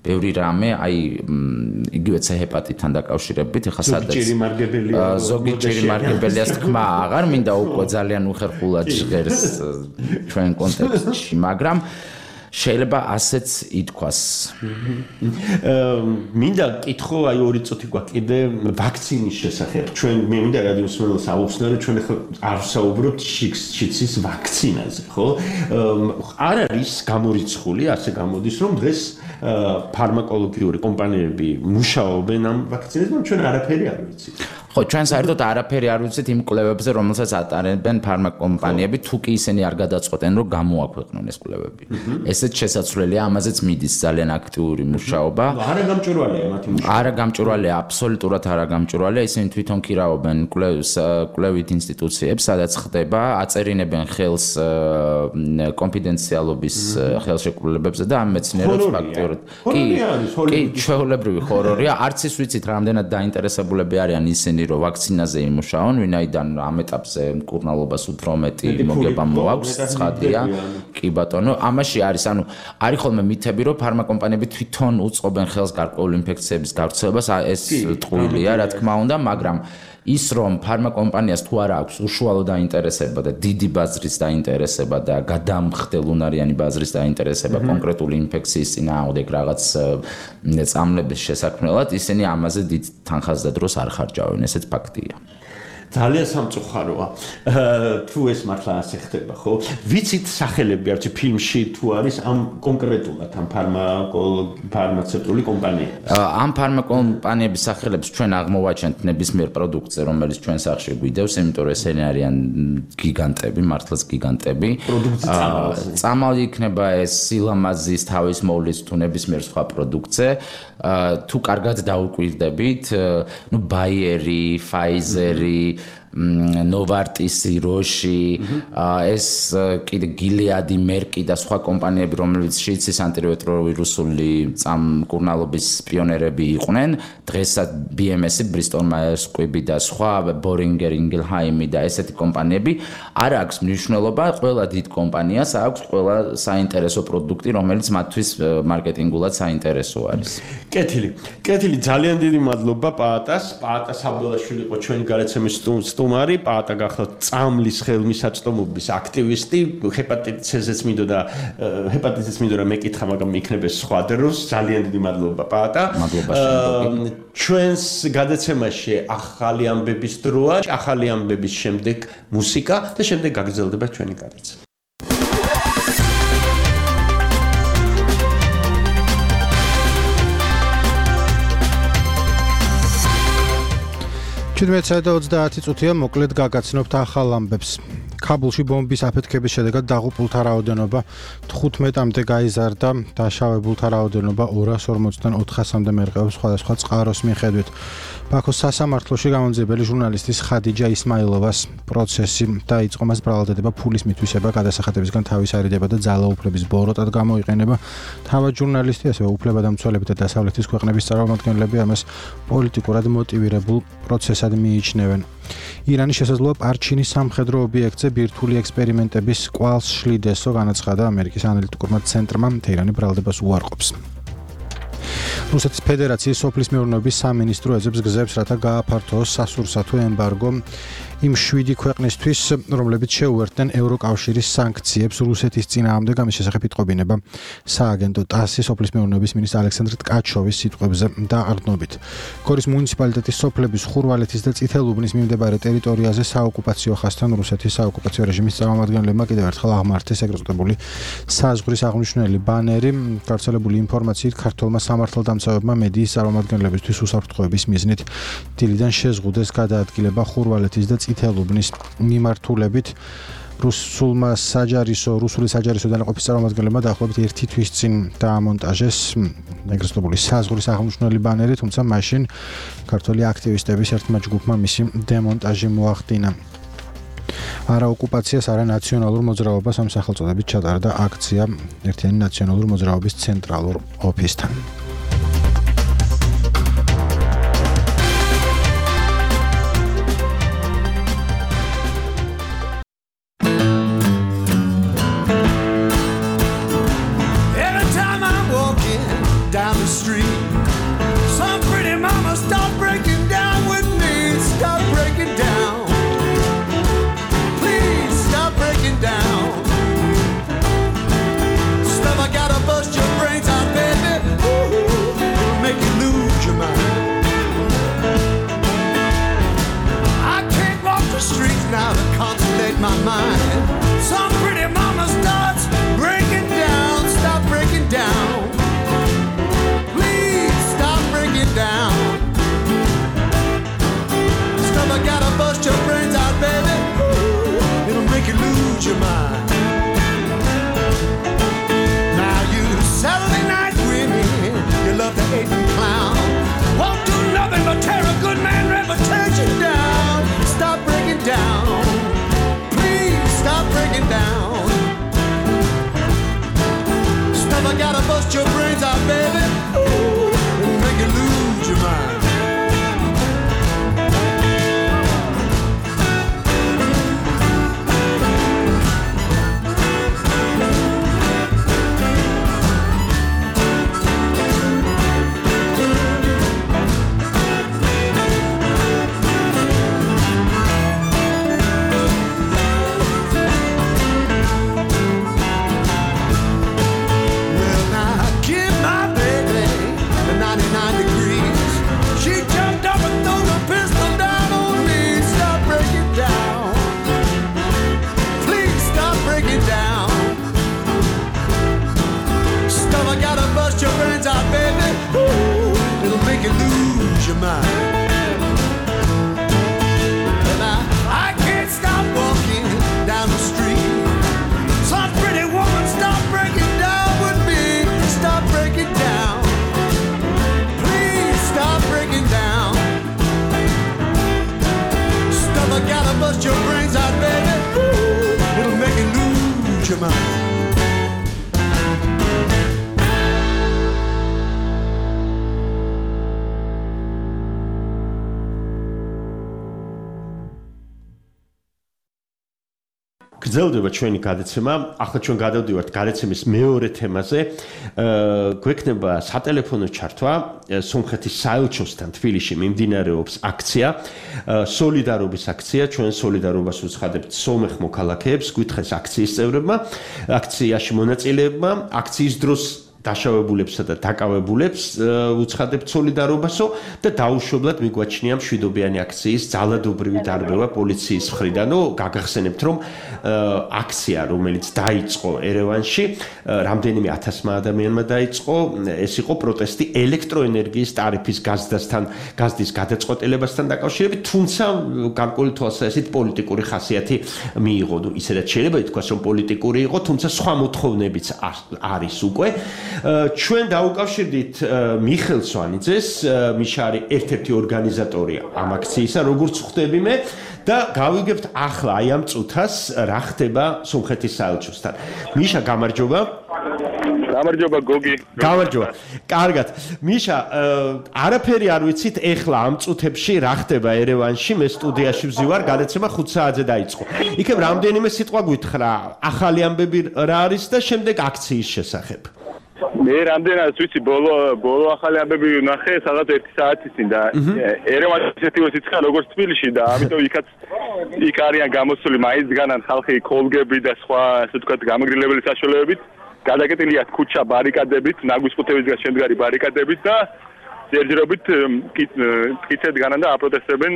ბევრი რამე აი იგივე C ჰეპატიტთან დაკავშირებით ეხლა სადაც ზოგი ჭირი მარგებელიას თქმა აღარ მინდა უკვე ძალიან უხერხულად ჟღერს ჩვენ კონტექსტში, მაგრამ შეიძლება ასეც ითქვას. მინდა კითხო აი ორი წუთი გვაქვს კიდე ვაქცინის შესახებ. ჩვენ მე მინდა რადიოს მსმენელს აუხსნათ, რომ ჩვენ ახლა არ ვსაუბრობთ შიცის ვაქცინაზე, ხო? არ არის გამორიცხული, ასე გამოდის, რომ დღეს ფარმაკოლოგიური კომპანიები მუშაობენ ამ ვაქცინაზე, მაგრამ ჩვენ არაფერი არ ვიცით. ხო, ჩვენ საერთოდ არაფერი არ ვიცით იმ კვლევებზე, რომელსაც ატარებენ ფარმაკომპანიები, თუ კი ისინი არ გადაწყვეტენ, რომ გამოაქვეყნონ ეს კვლევები. ესეც შესაძლებელია, ამაზეც მიდის ძალიან აქტიური მუშაობა. არა გამჭვირვალეა მათი მუშაობა. არა გამჭვირვალეა, აბსოლუტურად არა გამჭვირვალეა, ისინი თვითონ ქირავობენ კვლევის კვლევით ინსტიტუციებს, სადაც ხდება, აწერინებენ ხელს კონფიდენციალობის ხელშეკრულებებზე და ამ მეცნიერებს ფაქტიურად. კი, კი, ჩვეულებრივი ხორორია, არც ის ვიცით, რამდენად დაინტერესებულები არიან ისინი რომ ვაქცინაზე იმუშაონ, ვინაიდან ამ ეტაპზე მკურნალობას უფრო მეტი მოგება მოაქვს, ცხადია. კი ბატონო, ამაში არის, ანუ არის ხოლმე მითები, რომ ფარმაკომპანიები თვითონ უწყობენ ხელს გარკვეული ინფექციების გავრცელებას, ეს ტყუილია, რა თქმა უნდა, მაგრამ ის რომ ფარმაკომპანიას თუ არა აქვს უშუალო დაინტერესება და დიდი ბაზრის დაინტერესება და გადამხდელუნარიანი ბაზრის დაინტერესება კონკრეტული ინფექციის წინააღმდეგ რაღაც წამლების შესაქმნელად, ისინი ამაზე დიდ თანხას და დროს არ ხარჯავენ, ესეც ფაქტია. ძალიან სამწუხაროა. თუ ეს მართლა ასე ხდება, ხო? ვიცით სახელები არც ფილმში თუ არის ამ კონკრეტულად ამ ფარმაცევტული კომპანიები. ამ ფარმაკომპანიების სახელებს ჩვენ აღმოვაჩენთ ნებისმიერ პროდუქტზე, რომელიც ჩვენ სახში გვიდევს, იმიტომ რომ ესენი არიან გიგანტები, მართლაც გიგანტები. პროდუქტი წამალზე. წამალი იქნება ეს სილამაზის თავის მოვლის თუ ნებისმიერ სხვა პროდუქტზე. თუ კარგად დაუკვირდებით, ნუ ბაიერი, ფაიზერი ნოვარტისი, როში, ეს კიდე გილეადი, მერკი და სხვა კომპანიები, რომლებიც შიდსის ანტირეტროვირუსული წამკურნალობის პიონერები იყვნენ, დღესაც ბი ემ ესი, Bristol Myers Squibb და სხვა Boehringer Ingelheim და ესეთი კომპანიები არ აქვს მნიშვნელობა, ყველა დიდ კომპანიას აქვს ყველა საინტერესო პროდუქტი, რომელიც მათთვის მარკეტინგულად საინტერესო არის. კეთილი. კეთილი, ძალიან დიდი მადლობა პაატას. პაატა საბოლოშვილი იყო ჩვენი გარეთ სტუმარი, პაატა გახლავთ წამლის ხელმისაწვდომობის აქტივისტი, ჰეპატიტის C-ზეც მინდოდა ჰეპატიტის მინდოდა მეკითხა, მაგრამ იქნება სხვა დროს. ძალიან დიდი მადლობა პაატა. მადლობა შენ. ჩვენს გადაცემაში ახალი ამბების დროა, ახალი ამბების შემდეგ მუსიკა და შემდეგ გაგრძელდება ჩვენი გადაცემა. შვიდმეტი და ოცდაათი წუთია მოკლედ გაგაცნობთ ახალ ამბებს. ქაბულში ბომბის აფეთქების შედეგად დაღუპულთა რაოდენობა თხუთმეტამდე გაიზარდა, დაშავებულთა რაოდენობა ორას ორმოცდან ოთხასამდე მერყეობს სხვადასხვა წყაროს მიხედვით. ბაქოს სასამართლოში გამომძიებელი ჟურნალისტის ხადიჯა ისმაილოვას პროცესი დაიწყო, მას ბრალადდება ფულის მითვისება, გადასახადებისგან თავის არიდება და ძალაუფლების ბოროტად გამოიყენება. თავად ჟურნალისტი, ასევე უფლებადამცველები და დასავლეთის ქვეყნების წარმომადგენლები ამას პოლიტიკურად მოტივირებულ პროცესად მიიჩნევენ. ირანის შესაძლოა პარჩინის სამხედრო ობიექტზე ბირთვული ექსპერიმენტების კვალს შლიდესო, განაცხადა ამერიკის ანალიტიკურმა ცენტრმა, თეირანი ბრალდებას უარყოფს. რუსეთის ფედერაციის სოფლის მეურნეობის სამინისტრო ეძებს გზებს, რათა გააფართოოს სასურსათო ემბარგო იმ შვიდი ქვეყნისთვის, რომლებიც შეუერთდნენ ევროკავშირის სანქციებს რუსეთის წინააღმდეგ. ამის შესახებ იტყობინება სააგენტო ტასის სოფლის მეურნეობის მინისტრ ალექსანდრ ტკაჩოვის სიტყვებზე და არდნობით. გორის მუნიციპალიტეტის სოფლების ხურვალეთის და წითელუბნის მიმდებარე ტერიტორიაზე საოკუპაციო ხასთან რუსეთის საოკუპაციო რეჟიმის წარმომადგენლებმა კიდევ ერთხელ აღმართეს ეგრეთ წოდებული საზღვრის აღნიშნული ბანერი. გავრცელებული ინფორმაციით ქართულმა სამართალდამცავებმა მედიის წარმომადგენლებისთვის უსაფრთხოების მიზნით დილიდან შეზღუდეს გადაადგილება ხურვალეთის და წითელუბნის მიმართულებით. რუსულმა საჯარისო რუსული საჯარისო დანაყოფის წარმომადგენლებმა დაახლოებით ერთი თვის წინ დაამონტაჟეს ეგრეთ წოდებული საზღვრის აღნიშნული ბანერი, თუმცა მაშინ ქართველი აქტივისტების ერთმა ჯგუფმა მისი დემონტაჟი მოახდინა. არა ოკუპაციას, არა ნაციონალურ მოძრაობას ამ სახელწოდებით ჩატარდა აქცია ერთიანი ნაციონალური მოძრაობის ცენტრალურ ოფისთან. My mind. Some pretty mama starts breaking down. Stop breaking down. Please stop breaking down. Stuff I gotta bust your brains out, baby. Ooh, it'll make you lose your mind. Now you Saturday night women, you love to hate and clown. Won't do nothing but tear a good man reputation down. Stop breaking down. Stop breaking down. Stuff I gotta bust your brains out, baby. Ooh, and make you lose your mind. გრძელდება ჩვენი გადაცემა. ახლა ჩვენ გადავდივართ გადაცემის მეორე თემაზე. გვექნება სატელეფონო ჩართვა. სომხეთის საელჩოსთან თბილისში მიმდინარეობს აქცია, სოლიდარობის აქცია. ჩვენ სოლიდარობას უცხადებთ სომეხ მოქალაქეებს, გვითხრეს აქციის წევრებმა, აქციაში მონაწილეებმა, აქციის დროს დაშავებულებსა და დაკავებულებს უცხადებთ სოლიდარობასო და დაუშვებლად მიგვაჩნია მშვიდობიანი აქციის ძალადობრივი დარბევა პოლიციის მხრიდან. ნუ გაგახსენებთ, რომ აქცია, რომელიც დაიწყო ერევანში, რამდენიმე ათასმა ადამიანმა დაიწყო, ეს იყო პროტესტი ელექტროენერგიის ტარიფის გაზდასთან, გაზდის გადაწყვეტილებასთან დაკავშირებით, თუმცა გარკვეული თვალსაზრისით პოლიტიკური ხასიათი მიიღო. ნუ ისედაც შეიძლება ითქვას, რომ პოლიტიკური იყო, თუმცა სხვა მოთხოვნებიც არის უკვე. ჩვენ დაუკავშირდით მიხელ სვანიძეს, მიშა არის ერთ-ერთი ორგანიზატორი ამ აქციისა, როგორც ხვდები მე და გავიგებთ ახლა აი ამ წუთას რა ხდება სომხეთის საელჩოსთან. მიშა, გამარჯობა. გამარჯობა გოგი. გამარჯობა. კარგად. მიშა, არაფერი არ ვიცით ეხლა ამ წუთებში რა ხდება ერევანში, მე სტუდიაში ვზივარ, გადაცემა ხუთ საათზე დაიწყო. იქნებ რამდენიმე სიტყვა გვითხრა, ახალი ამბები რა არის და შემდეგ აქციის შესახებ. მე რამდენად ვიცი ბოლო ბოლო ახალი ამბები ვნახე სადღაც ერთი საათის წინ და ერევანი ისეთი ვეციხა როგორც თბილისში და ამიტომ იქაც იქ არიან გამოსული მაინცგანან ხალხი კოლგები და სხვა ასე ვთქვათ გამაგრილებელი საშუალებებით გადაკეტილია ქუჩა ბარიკადებით ნაგვისყუთებისგან შემდგარი ბარიკადებით და ჯერჯერობით მტკიცედ განან და აპროტესტებენ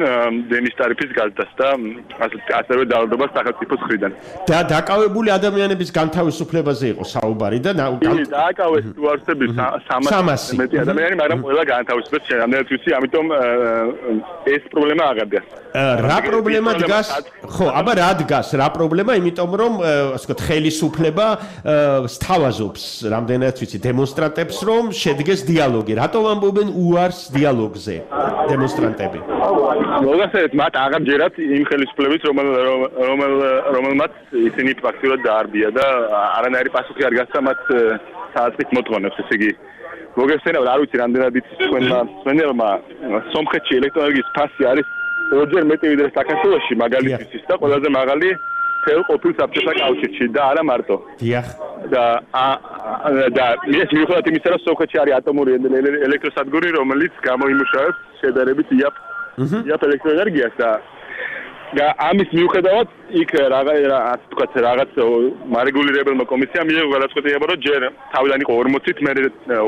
დენის ტარიფის გაზდას და ასევე დაავადებას სახელმწიფოს მხრიდან. და დაკავებული ადამიანების განთავისუფლებაზე იყო საუბარი და დააკავეს თუ არსები სამასი მეტი ადამიანი, მაგრამ ყველა განთავისუფლებს რამდენად ვიცი, ამიტომ ეს პრობლემა აღარდა. რა პრობლემა დგას? ხო, აბა რა დგას? რა პრობლემა? იმიტომ რომ ასე ვთქვათ, ხელისუფლება სთავაზობს რამდენად ვიცი დემონსტრანტებს, რომ შედგეს დიალოგი. რატომ ამბობენ უარს დიალოგზე დემონსტრანტები? მოგახსენეთ, მათ აღარჯერათ იმ ხელისუფლების, რომელ რომელ რომელმაც ისინი ფაქტიურად დაარბია და არანაირი პასუხი არ გასცა მათ საათის მოთხოვნებს, ესე იგი მოგახსენებთ, არ ვიცი რამდენად იცის თქვენმა მცენელმა, სომხეთში ელექტროენერგიის ფასი არის ორჯერ მეტი ვიდრე საქართველოში მაგალითისთვის და ყველაზე მაღალი თელ ყოფილ საბჭოთა კავშირში და არა მარტო. დიახ. და და ეს მიუხედავად იმისა, რომ სომხეთში არის ატომური ელექტროსადგური, რომელიც გამოიმუშავებს შედარებით იაფ იაფ ელექტროენერგიას და და ამის მიუხედავად იქ რაღაც თქვათ რაღაც მარეგულირებელმა კომისიამ მიიღო გადაწყვეტილება, რომ ჯერ თავიდან იყო ორმოცით, მერე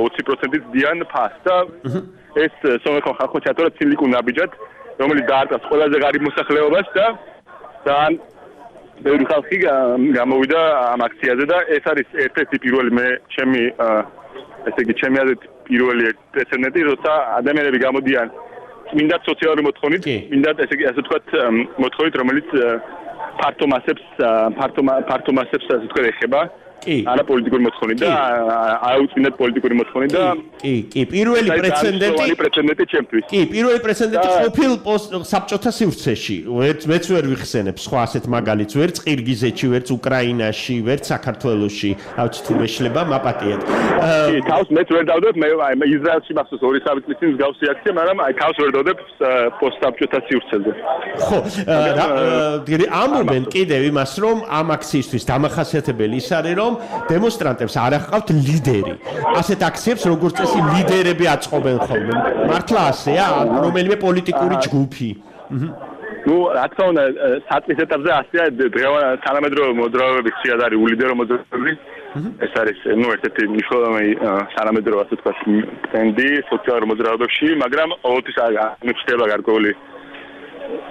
ოცი პროცენტით დიან ფასს და ეს სომეხო ხალხო ჩატარდა ცილიკურ ნაბიჯად, რომელიც დაარტყას ყველაზე ღარიბ მოსახლეობას და ძალიან ბევრი ხალხი გამოვიდა ამ აქციაზე და ეს არის ერთ-ერთი პირველი მე ჩემი ესე იგი ჩემი აზრით პირველი პრეცედენტი, როცა ადამიანები გამოდიან მინდა სოციალური მოთხოვნით, მინდა ესე იგი ასე ვთქვათ მოთხოვნით, რომელიც ფართო მასებს ფართო ფართო მასებს ასე ვთქვათ ეხება. არა პოლიტიკური მოთხოვნით და აუწმინდად პოლიტიკური მოთხოვნით და კი, კი, პირველი პრეცედენტი პრეცედენტი ჩემთვის. კი, პირველი პრეცედენტი ყოფილ საბჭოთა სივრცეში. ვერც მეც ვერ ვიხსენებ სხვა ასეთ მაგალითს, ვერც ყირგიზეთში, ვერც უკრაინაში, ვერც საქართველოში, ავთ თუ მეშლება მაპატიეთ. კი, თავს მეც ვერ დავდებ, მე აი ისრაელში მახსოვს ორი სამი წლის წინ მსგავსი აქცია, მაგრამ აი თავს ვერ დავდებ პოსტსაბჭოთა სივრცეზე. ხო, ამბობენ კიდევ იმას, რომ ამ აქციისთვის დამახასიათებელი ის არის, რომ დემონსტრანტებს არ ახავთ ლიდერი. ასეთ აქციებს როგორც წესი ლიდერები აწყობენ ხოლმე. მართლა ასეა, რომელიმე პოლიტიკური ჯგუფი. ნუ რა თქმა უნდა, საწყის ეტაპზე ასეა, დღევანდელ თანამედროვე მოძრაობების ხშირად არის ულიდერო მოძრაობები. ეს არის ნუ ერთ-ერთი მნიშვნელოვანი თანამედროვე ასე ვთქვათ ტრენდი სოციალურ მოძრაობებში, მაგრამ ყოველთვის აღნიშნება გარკვეული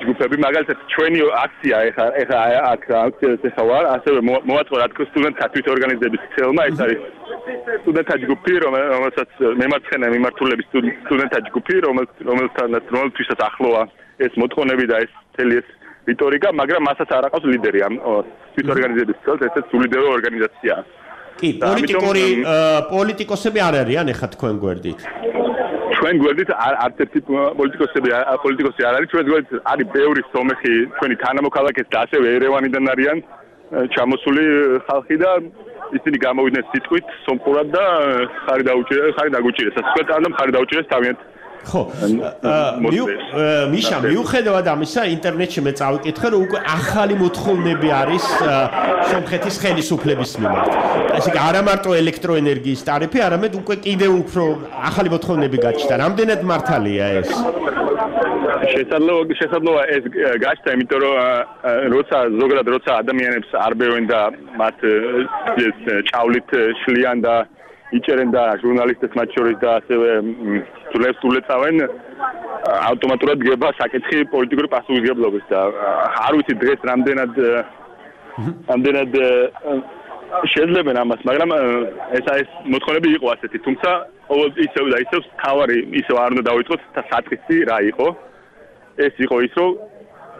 ჯგუფები, მაგალითად ჩვენი აქცია ეხა ეხა აქ აქციაზე ხარ, ასევე მოაწყო რა თქმა უნდა სტუდენტთა თვითორგანიზების ცელმა, ეს არის სტუდენტთა ჯგუფი, რომელსაც მემარცხენე მიმართულების სტუდენტთა ჯგუფი, რომელთანაც რომელთვისაც ახლოა ეს მოთხოვნები და ეს მთელი ეს რიტორიკა, მაგრამ მასაც არ აყავს ლიდერი ამ თვითორგანიზების ცელს, ესეც ულიდერო ორგანიზაციაა. კი, პოლიტიკური პოლიტიკოსები არ არიან ეხა თქვენ გვერდით. ჩვენ გვერდით არც ერთი პოლიტიკოსები პოლიტიკოსი არ არის, ჩვენ გვერდით არის ბევრი სომეხი ჩვენი თანამოქალაქეც და ასევე ერევანიდან არიან ჩამოსული ხალხი და ისინი გამოვიდნენ სიტყვით სომხურად და ხარი დაუჭირეს, ხარი დაგუჭირეს. ასე ვთქვათ, ანუ ხარი დაუჭირეს თავიანთ ხო მიშა მიუხედავად ამისა ინტერნეტში მე წავიკითხე რომ უკვე ახალი მოთხოვნები არის სომხეთის ხელისუფლების მიმართ ასე კი არა მარტო ელექტროენერგიის ტარიფი არამედ უკვე კიდევ უფრო ახალი მოთხოვნები გაჩნდა რამდენად მართალია ეს შესაძლოა შესაძლოა ეს გაჩნდა იმიტომ რომ როცა ზოგადად როცა ადამიანებს არ ბევენ და მათ ჭავლით შლიან და იჭერენ და ჟურნალისტებს მათ შორის და ასევე ძვლებს ულეწავენ ავტომატურად გება საკითხი პოლიტიკური პასუხისმგებლობის და არ ვიცი დღეს რამდენად რამდენად შეძლებენ ამას მაგრამ ეს ეს მოთხოვნები იყო ასეთი თუმცა ისევ და ისევ თავარი ისევ არ უნდა დავიწყოთ და საკითხი რა იყო ეს იყო ის რომ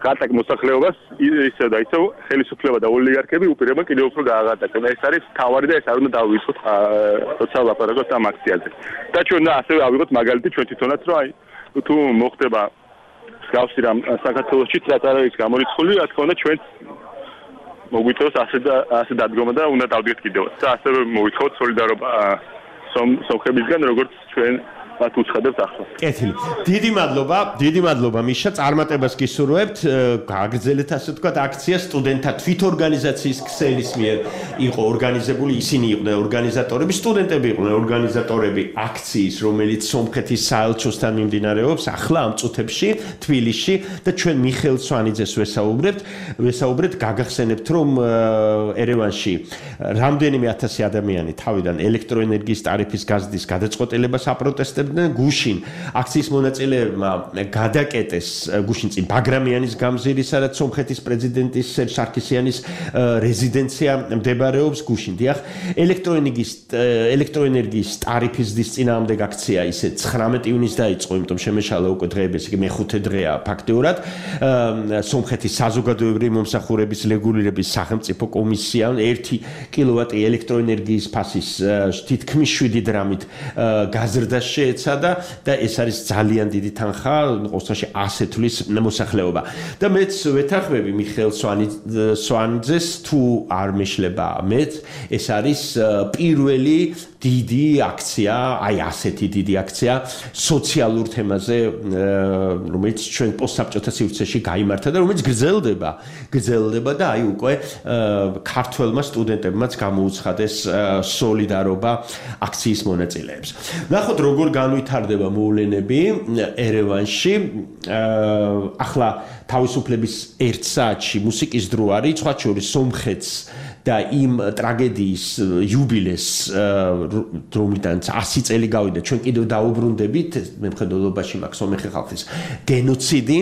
გატაკ მოსახლეობას ისევ და ისევ ხელისუფლება და ოლიგარქები უპირებენ კიდევ უფრო გააღატაკონ ეს არის თავარი და ეს არ უნდა დავიწყოთ როცა ლაპარაკობთ ამ აქციაზე და ჩვენ და ასევე ავიღოთ მაგალითი ჩვენ თვითონაც რომ აი თუ მოხდება მსგავსი რამ საქართველოშიც რაც არ არის გამორიცხული რა თქმა უნდა ჩვენ მოგვითხოვს ასე და ასე დადგომა და უნდა დავდგეთ კიდევაც და ასევე მოგვითხოვთ სოლიდარობა სომხებისგან როგორც ჩვენ მათ უცხადებთ ახლა. კეთილი. დიდი მადლობა, დიდი მადლობა მიშა, წარმატებას გისურვებთ. გააგრძელეთ ასე ვთქვათ აქცია სტუდენტთა თვითორგანიზაციის ქსელის მიერ იყო ორგანიზებული, ისინი იყვნენ ორგანიზატორები, სტუდენტები იყვნენ ორგანიზატორები აქციის, რომელიც სომხეთის საელჩოსთან მიმდინარეობს ახლა ამ წუთებში თბილისში და ჩვენ მიხეილ სვანიძეს ვესაუბრებთ, ვესაუბრეთ გაგახსენებთ რომ ერევანში რამდენიმე ათასი ადამიანი თავიდან ელექტროენერგიის ტარიფის გაზრდის გადაწყვეტილებას აპროტესტებდნენ გუშინ აქციის მონაწილეებმა გადაკეტეს გუშინ წინ ბაგრამიანის გამზირი სადაც სომხეთის პრეზიდენტის სერჟ სარქისიანის რეზიდენცია მდებარეობს გუშინ დიახ ელექტროენერგიის ელექტროენერგიის ტარიფის ზრდის წინააღმდეგ აქცია ისე ცხრამეტი ივნის დაიწყო იმიტომ შემეშალა უკვე დღეების იგი მეხუთე დღეა ფაქტიურად სომხეთის საზოგადოებრივი მომსახურების რეგულირების სახელმწიფო კომისიამ ერთი კილოვატი ელექტროენერგიის ფასის თითქმის შვიდი დრამით გაზრდა შეეცადა და ეს არის ძალიან დიდი თანხა ყოველთვის ასე თვლის მოსახლეობა და მეც ვეთანხმები მიხეილ სვანიძეს თუ არ მეშლება მეც ეს არის პირველი დიდი აქცია აი ასეთი დიდი აქცია სოციალურ თემაზე რომელიც ჩვენ პოსტსაბჭოთა სივრცეში გაიმართა და რომელიც გრძელდება გრძელდება და აი უკვე ქართველმა სტუდენტებმაც გამოუცხადეს სოლიდარობა აქციის მონაწილეებს ნახოთ როგორ განვითარდება მოვლენები ერევანში ახლა თავისუფლების ერთ საათში მუსიკის დრო არის სხვა შორის სომხეთს და იმ ტრაგედიის იუბილეს რომლიდანაც ასი წელი გავიდა ჩვენ კიდევ დაუბრუნდებით მემხედველობაში მაქვს სომეხი ხალხის გენოციდი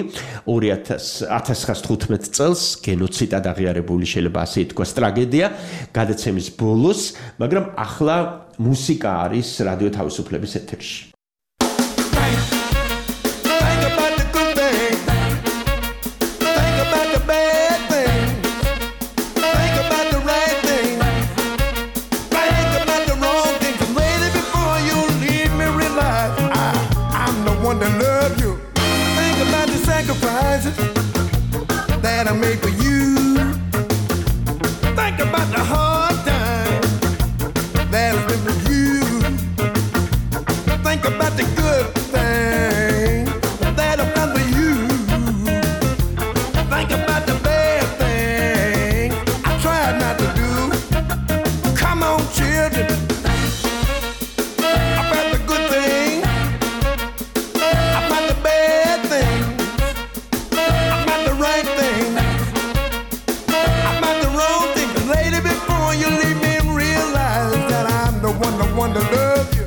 ორი ათას თხუთმეტ წელს გენოციდად აღიარებული შეიძლება ასე ითქვას ტრაგედია გადაცემის ბოლოს მაგრამ ახლა მუსიკა არის რადიო თავისუფლების ეთერში that I made for you. Think about the hard time that I've been with you. Think about the good thing that I've done for you. Think about the bad thing I tried not to do. Come on, children. About the good thing, about the bad thing. Right thing, about the wrong thing. Lady, before you leave me and realize that I'm the one, the one to love you.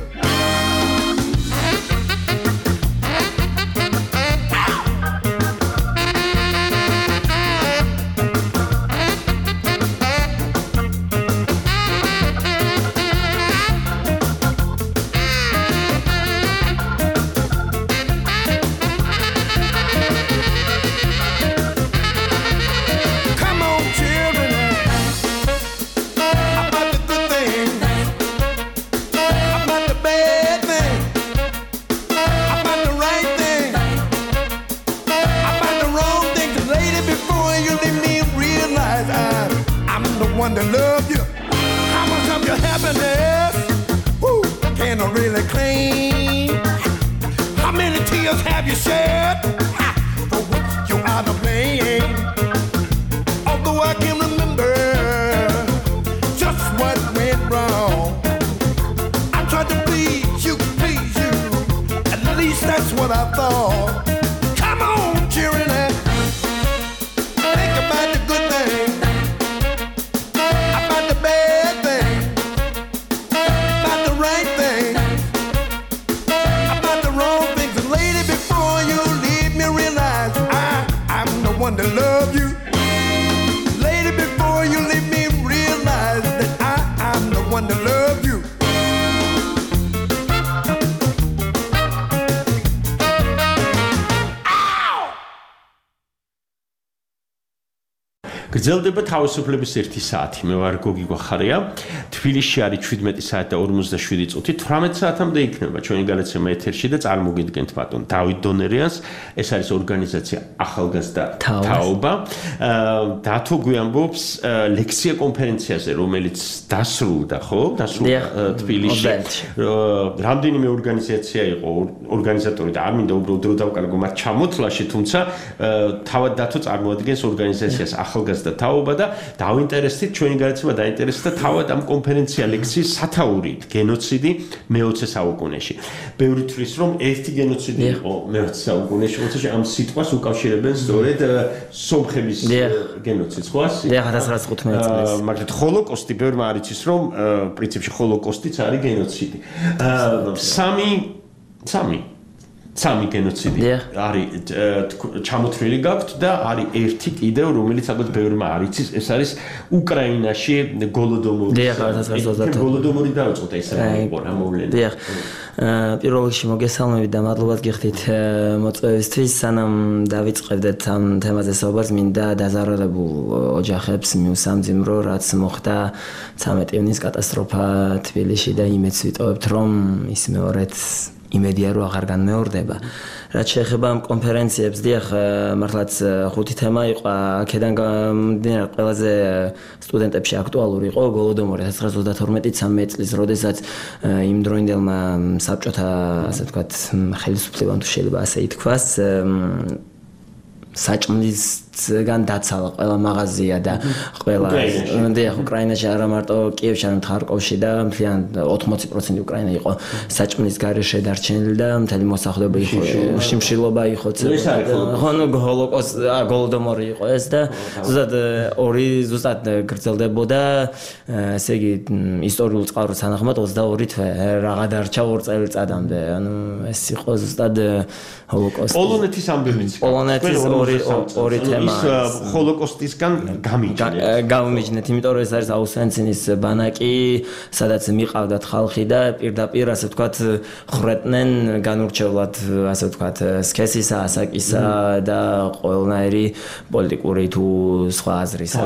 One to love you. How much of your happiness woo, can I really claim? How many times tears have you shed? Ha! For which you are to blame. Although I can remember just what went wrong, I tried to please you, please you. At least that's what I thought. Come on, cheering it. Think about the good thing, about the bad thing, about the right thing, about the wrong things. And lady, before you leave me, realize I, I'm the one to love you. Lady, before you leave me, realize that I, I'm the one to love you. გრძელდება თავისუფლების ერთი საათი. მე ვარ გოგი გვახარია. თბილისში არის შვიდმეტი საათი და ორმოცდაშვიდი წუთი. თვრამეტ საათამდე იქნება ჩვენი განაცემა ეთერში და წარმოგიდგენთ ბატონ დავით დონერიანს. ეს არის ორგანიზაცია ახალგაზრდა თაობა. დათო გვიამბობს ლექცია კონფერენციაზე, რომელიც დასრულდა, ხო? დასრულდა თბილისში. რამდენიმე ორგანიზაცია იყო ორგანიზატორი და არ მინდა უბრალოდ დრო დავკარგო მათ ჩამოთვლაში, თუმცა თავად დათო წარმოადგენს ორგანიზაციას ახალგაზრდა თაობა და დავინტერესდით ჩვენი განაცემა დაინტერესდა თავად ამ კონფერენცია ლექციის სათაურით გენოციდი მეოცე საუკუნეში. ბევრი თვლის რომ ერთი გენოციდი იყო მეოცე საუკუნეში, თუმცა ამ სიტყვას უკავშირებენ სწორედ სომხების გენოციდს, ხო ასე? და ათას ცხრაასი თხუთმეტი წლის. მაგრამ ჰოლოკოსტი ბევრმა არ იცის რომ პრინციპში ჰოლოკოსტიც არის გენოციდი. სამი სამი სამი გენოციდი არის ჩამოთვლილი გაქვთ და არის ერთი კიდევ რომელიც ალბათ ბევრმა არ იცის, ეს არის უკრაინაში გოლოდომორი. გოლოდომორი დაიწყო და ესე იყო რა მოვლენა. დიახ. პირველ რიგში მოგესალმებით და მადლობად გიხდით მოწვევისთვის. სანამ დავიწყებდეთ ამ თემაზე საუბარს, მინდა დაზარალებულ ოჯახებს მიუსამძიმრო, რაც მოხდა ცამეტი ივნის კატასტროფა თბილისში და იმედს ვიტოვებთ, რომ ის მეორეც იმედია რომ აღარ განმეორდება. რაც შეეხება ამ კონფერენციებს, დიახ, მართლაც ხუთი თემა იყო, აქედან გამომდინარე ყველაზე სტუდენტებში აქტუალური იყო გოლოდომორი ათას ცხრაასი ოცდათორმეტი ცამეტი წლის, როდესაც იმ დროინდელმა საბჭოთა, ასე ვთქვათ, ხელისუფლებამ თუ შეიძლება ასე ითქვას, საჭმლისგან დაცალა ყველა მაღაზია და ყველა დიახ უკრაინაში არა მარტო კიევში, არამედ ხარკოვში და მთლიან ოთხმოცი პროცენტი უკრაინა იყო საჭმლის გარეშე დარჩენილი და მთელი მოსახლეობა იყო შიმშილობა იყო. ხო, ნუ ჰოლოკოსტი, გოლოდომორი იყო ეს და ზუსტად ორი ზუსტად გრძელდებოდა, ესე იგი ისტორიულ წყაროს თანახმად ოცდაორი თვე რაღა დარჩა ორ წელიწადამდე. ანუ ეს იყო ზუსტად ჰოლოკოსტი. პოლონეთის ამბებიც. პოლონეთის ორი ორი თემა ის ჰოლოკოსტისგან გამიჯნეთ. გამიჯნეთ, იმიტომ რომ ეს არის აუსვენცინის ბანაკი, სადაც მიყავდათ ხალხი და პირდაპირ ასე ვთქვათ ხრეტნენ განურჩევლად ასე ვთქვათ სქესისა, ასაკისა და ყველნაირი პოლიტიკური თუ სხვა აზრისა.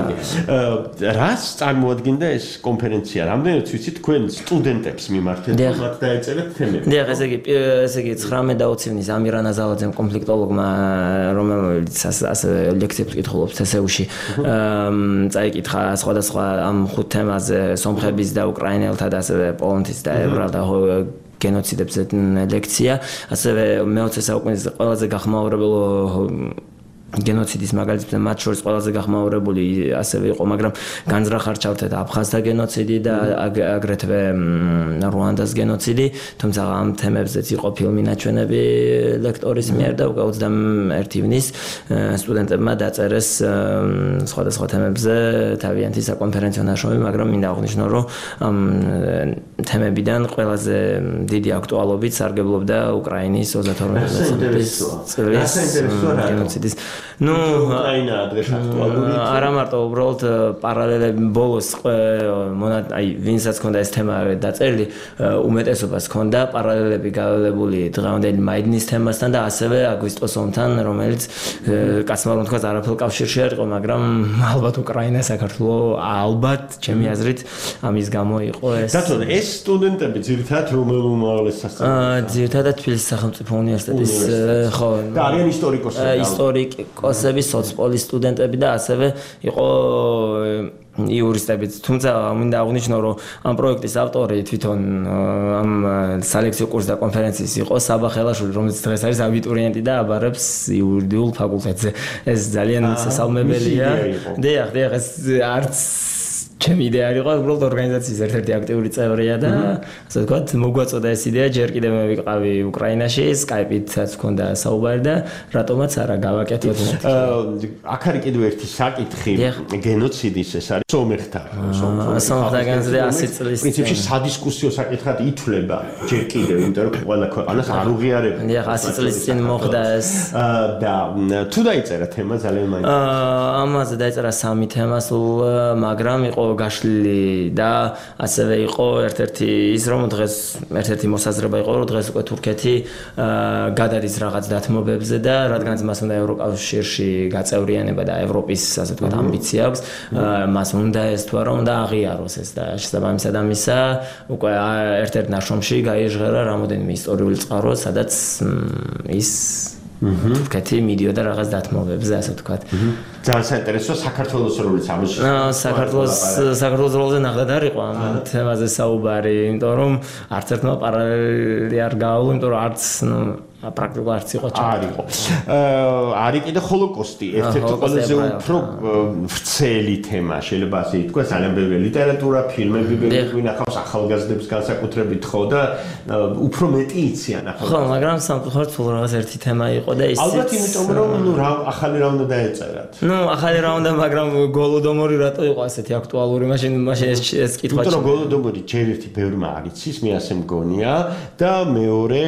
რას წარმოადგენდა ეს კონფერენცია? რამდენად ვიცით თქვენ სტუდენტებს მიმართეთ, მათ დაეწერეთ თემები? დიახ, ესე იგი ესე იგი ცხრამეტ და ოცი ივნის ამირან აზალაძემ კონფლიქტოლოგმა, რომელიც ასე ლექციებს კითხულობს თსეუში, წაიკითხა სხვადასხვა ამ ხუთ თემაზე, სომხების და უკრაინელთა და ასევე პოლონეთის და ებრაელთა გენოციდებზე ლექცია. ასევე მეოცე საუკუნის ყველაზე გახმაურებელ გენოციდის მაგალითად მათ შორის ყველაზე გახმაურებული ასევე იყო, მაგრამ განზრახარჩავთ და აფხაზთა გენოციდი და აგრეთვე რუანდას გენოციდი, თუმცა ამ თემებზეც იყო ფილმი ნაჩვენები ლექტორის მიერ და უკვე ოცდაერთი ივნის სტუდენტებმა დაწერეს სხვადასხვა თემებზე თავიანთი საკონფერენციო ნაშრომი, მაგრამ მინდა აღვნიშნო, რომ ამ თემებიდან ყველაზე დიდი აქტუალობით სარგებლობდა უკრაინის ოცდათორმეტი წლის გენოციდის. ნუ უკრაინა დღეს აქტუალური. არა მარტო, უბრალოდ პარალელები ბოლოს აი ვინცაც ქონდა ეს თემა დაწერილი, უმეტესობას ქონდა პარალელები გაველებული დღევანდელი მაიდნის თემასთან და ასევე აგვისტოს ომთან, რომელიც კაცმა რომ თქვა არაფერ კავშირში არ იყო, მაგრამ ალბათ უკრაინა საქართველოს ალბათ ჩემი აზრით ამის გამო იყო ეს. დათო, ეს სტუდენტები ძირითადად რომელ უმაღლეს სასწავლებლო? ძირითადად თბილისის სახელმწიფო უნივერსიტეტის ხო და არიან ისტორიკოსები. ისტორიკოსები, სოცპოლის სტუდენტები და ასევე იყო იურისტებით, თუმცა მინდა აღვნიშნო, რომ ამ პროექტის ავტორი თვითონ ამ სალექციო კურსის და კონფერენციის იყო საბა ხელაშვილი, რომელიც დღეს არის აბიტურიენტი და აბარებს იურიდიულ ფაკულტეტზე. ეს ძალიან სასალმებელია. დიახ, დიახ, ეს არც ჩემი იდეა არ იყო, უბრალოდ ორგანიზაციის ერთ-ერთი აქტიური წევრია და ასე ვთქვათ, მოგვაწოდა ეს იდეა, ჯერ კიდევ მე ვიყავი უკრაინაში, Skype-ითაც მქონდა საუბარი და რატომაც არა გავაკეთოთ. აქ არის კიდევ ერთი საკითხი, გენოციდის ეს არის სომეხთა, სომეხთა გენოციდი ასი წლის პრინციპში სადისკუსიო საკითხად ითვლება ჯერ კიდევ, იმიტომ რომ ყველა ქვეყანას არ უღიარებია. დიახ, ასი წლის წინ მოხდა ეს და თუ დაიწერა თემა ძალიან მაინტერესებდა. ამაზე დაიწერა სამი თემა სულ, მაგრამ იყო გაშლილი და ასევე იყო ერთ-ერთი ის რომ დღეს ერთ-ერთი მოსაზრება იყო რომ დღეს უკვე თურქეთი გადადის რაღაც დათმობებზე და რადგანაც მას უნდა ევროკავშირში გაწევრიანება და ევროპის ასე ვთქვათ ამბიცია აქვს მას უნდა ესთვა რომ უნდა აღიაროს ეს და შესაბამისად ამისა უკვე ერთ-ერთ ნაშრომში გაიჟღერა რამოდენიმე ისტორიული წყარო სადაც ის თურქეთი მიდიოდა რაღაც დათმობებზე ასე ვთქვათ ძალიან საინტერესოა საქართველოს როლიც ამაში. საქართველოს საქართველოს როლზე ნახდად არ იყო ამ თემაზე საუბარი, იმიტომ რომ არც ერთმა პარალელი არ გაავალო, იმიტომ რომ არც პრაქტიკულად არც იყო არ იყო. არის კიდე ჰოლოკოსტი, ერთ-ერთი ყველაზე უფრო ვრცელი თემა, შეიძლება ასე ითქვას, ძალიან ბევრი ლიტერატურა, ფილმები გვინახავს ახალგაზრდებს განსაკუთრებით ხო და უფრო მეტი იციან ახალგაზრდებს. ხო, მაგრამ სამწუხაროდ სულ რაღაც ერთი თემა იყო და ის ალბათ იმიტომ რომ ნუ რა ახალი რა უნდა დაეწერათ. ნუ ახალი რა უნდა, მაგრამ გოლოდომორი რატო იყო ასეთი აქტუალური, მაშინ მაშინ ეს ეს კითხვა. იმიტომ რომ გოლოდომორი ჯერ ერთი ბევრმა არ იცის, მე ასე მგონია და მეორე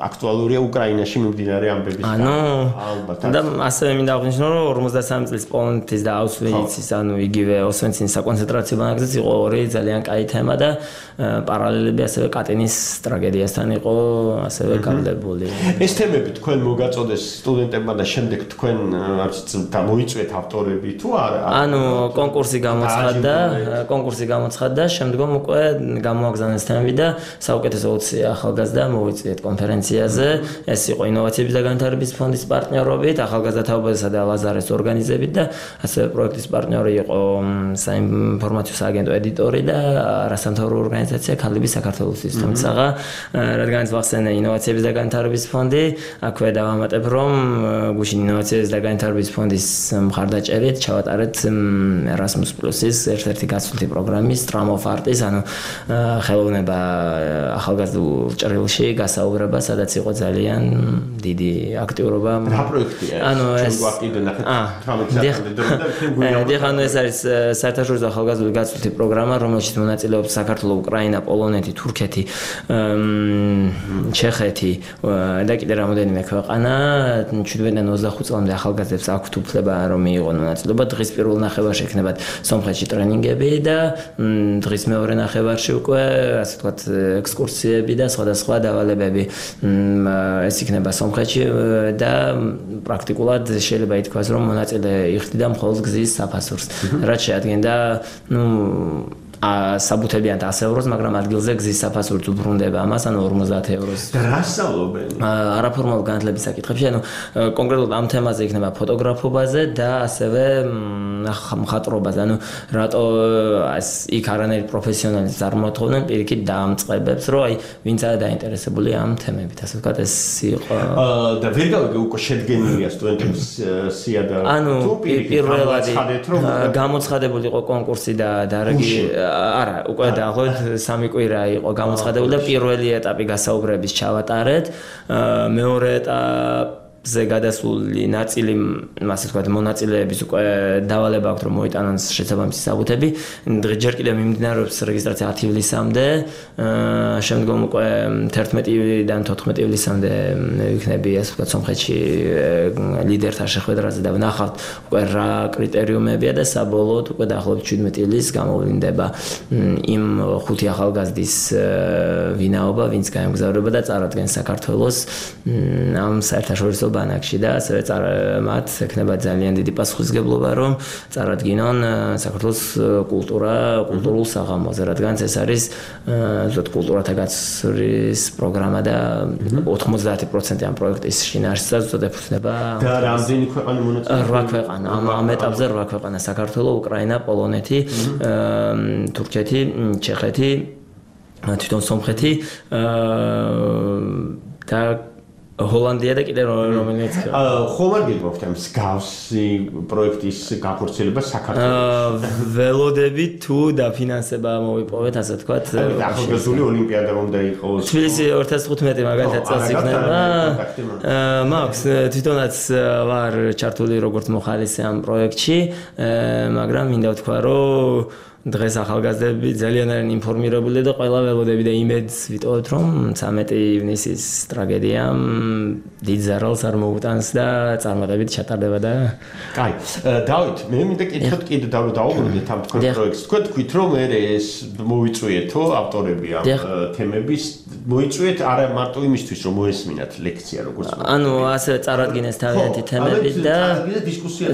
აქტუალურია უკრაინაში მიმდინარე ამბების ანუ ალბათ და ასევე მინდა აღვნიშნო რომ ორმოცდასამი წლის პოლონეთის და აუშვიცის ანუ იგივე ოსვენცინის საკონცენტრაციო ბანაკზეც იყო ორი ძალიან კაი თემა და პარალელები ასევე კატინის ტრაგედიასთან იყო ასევე გავლებული. ეს თემები თქვენ მოგაწოდეს სტუდენტებმა და შემდეგ თქვენ არც გამოიწვიეთ ავტორები თუ არა? ანუ კონკურსი გამოცხადდა, კონკურსი გამოცხადდა, შემდგომ უკვე გამოაგზავნეს თემები და საუკეთესო ოცი ახალგაზრდა მოვიწვიეთ კონფერენციაზე. ეს იყო ინოვაციების და განვითარების ფონდის პარტნიორობით, ახალგაზრდა თაობებისა და ლაზარეს ორგანიზებით და ასევე პროექტის პარტნიორი იყო საინფორმაციო სააგენტო ედიტორი და არასამთავრობო ორგანიზაცია ქალები საქართველოსთვის. თუმცა რადგანაც ვახსენე ინოვაციების და განვითარების ფონდი, აქვე დავამატებ რომ გუშინ ინოვაციების და განვითარების ფონდის მხარდაჭერით ჩავატარეთ Erasmus Plus-ის ერთ-ერთი გაცვლითი პროგრამის ტრამოფარტის, ანუ ხელოვნება ახალგაზრდულ ჭრილში გასაუბრება, სადაც იყო ძალიან დიდი აქტიურობა. რა პროექტია? ანუ ეს გვაყიდე ნახეთ თამაში დიახ, ანუ ეს არის საერთაშორისო ახალგაზრდული გაცვლითი პროგრამა, რომელშიც მონაწილეობს საქართველო, უკრაინა, პოლონეთი, თურქეთი, ჩეხეთი და კიდე რამოდენიმე ქვეყანა. შვიდმეტიდან ოცდახუთ წლამდე ახალგაზრდებს აქვთ უფლება რომ მიიღონ მონაწილეობა. დღის პირველ ნახევარში ექნებათ სომხეთში ტრენინგები და დღის მეორე ნახევარში უკვე ასე ვთქვათ ექსკურსიები და სხვადასხვა დავალებები. ეს იქნება სომხეთში და პრაქტიკულად შეიძლება ითქვას რომ მონაწილე იხდიდა მხოლოდ გზის საფასურს. რაც შეადგენდა ნუ საბუთებიან ასი ევროს, მაგრამ ადგილზე გზის საფასურით უბრუნდება ამას, ანუ ორმოცდაათი ევროს. და რა სწავლობენ? არაფორმალურ განათლების საკითხებში, ანუ კონკრეტულად ამ თემაზე იქნება ფოტოგრაფობაზე და ასევე მხატვრობაზე. ანუ რატო იქ არანაირი პროფესიონალისტ არ მოთხოვდნენ, პირიქით დაამწყებებს, რომ აი ვინც არის დაინტერესებული ამ თემებით, ასე ვთქვათ, ეს იყო. და ვერ გავიგე უკვე შედგენილია სტუდენტების სია და თუ პირველად გამოცხადებული იყო კონკურსი და დარაგი არა, უკვე დაახლოებით სამი კვირა იყო გამოცხადებული და პირველი ეტაპი გასაუბრების ჩავატარეთ. მეორე ეტაპი ზე გადასული ნაწილი, ასე ვთქვათ, მონაწილეების უკვე დავალება აქვს რომ მოიტანონ შესაბამისი საბუთები. ჯერ კიდევ მიმდინარეობს რეგისტრაცია ათი ივლისამდე, შემდგომ უკვე თერთმეტიდან თოთხმეტი ივლისამდე იქნები, ასე ვთქვათ, სომხეთში ლიდერთა შეხვედრაზე და ვნახავთ უკვე რა კრიტერიუმებია და საბოლოოდ უკვე დაახლოებით შვიდმეტი ივლისს გამოვლინდება იმ ხუთი ახალგაზრდის ვინაობა, ვინც გაემგზავრება და წარადგენს საქართველოს ამ საერთაშორისო ბანაკში და ასევე მათ ექნება ძალიან დიდი პასუხისმგებლობა რომ წარადგინონ საქართველოს კულტურა, კულტურულ საღამოზე, რადგან ეს არის ზოგადად კულტურათა გაცვლის პროგრამა და ოთხმოცდაათი პროცენტი ამ პროექტის შინაარსსაც ზოგადად ეფუძნება და რამდენი ქვეყანა მონაწილეობს? რვა ქვეყანა, ამ ეტაპზე რვა ქვეყანა: საქართველო, უკრაინა, პოლონეთი, თურქეთი, ჩეხეთი, თვითონ სომხეთი და ჰოლანდია და კიდე რომელიც ხომ არ გიგოქთ ამ მსგავსი პროექტის გახორციელება საქართველოში? ველოდები თუ დაფინანსება მოვიპოვეთ, ასე ვთქვათ. ახალგაზრდული ოლიმპიადა უნდა იყოს. თბილისი ორი ათას თხუთმეტი მაგალითად წელს იქნება. მაქვს თვითონაც ვარ ჩართული როგორც მოხალისე ამ პროექტში, მაგრამ მინდა ვთქვა, რომ დღეს ახალგაზრდები ძალიან არიან ინფორმირებული და ყველა ველოდები და იმედს ვიტოვებთ რომ ცამეტი ივნისის ტრაგედიამ დიდ ზარალს არ მოუტანს და წარმატებით ჩატარდება და კაი დავით მე მინდა კითხოთ კიდე დავუბრუნდეთ ამ თქვენ პროექტს თქვენ თქვით რომ მე ეს მოვიწვიეთო ავტორები ამ თემების მოიწვიეთ არა მარტო იმისთვის რომ მოესმინათ ლექცია როგორც ანუ ასე წარადგინეს თავიანთი თემები და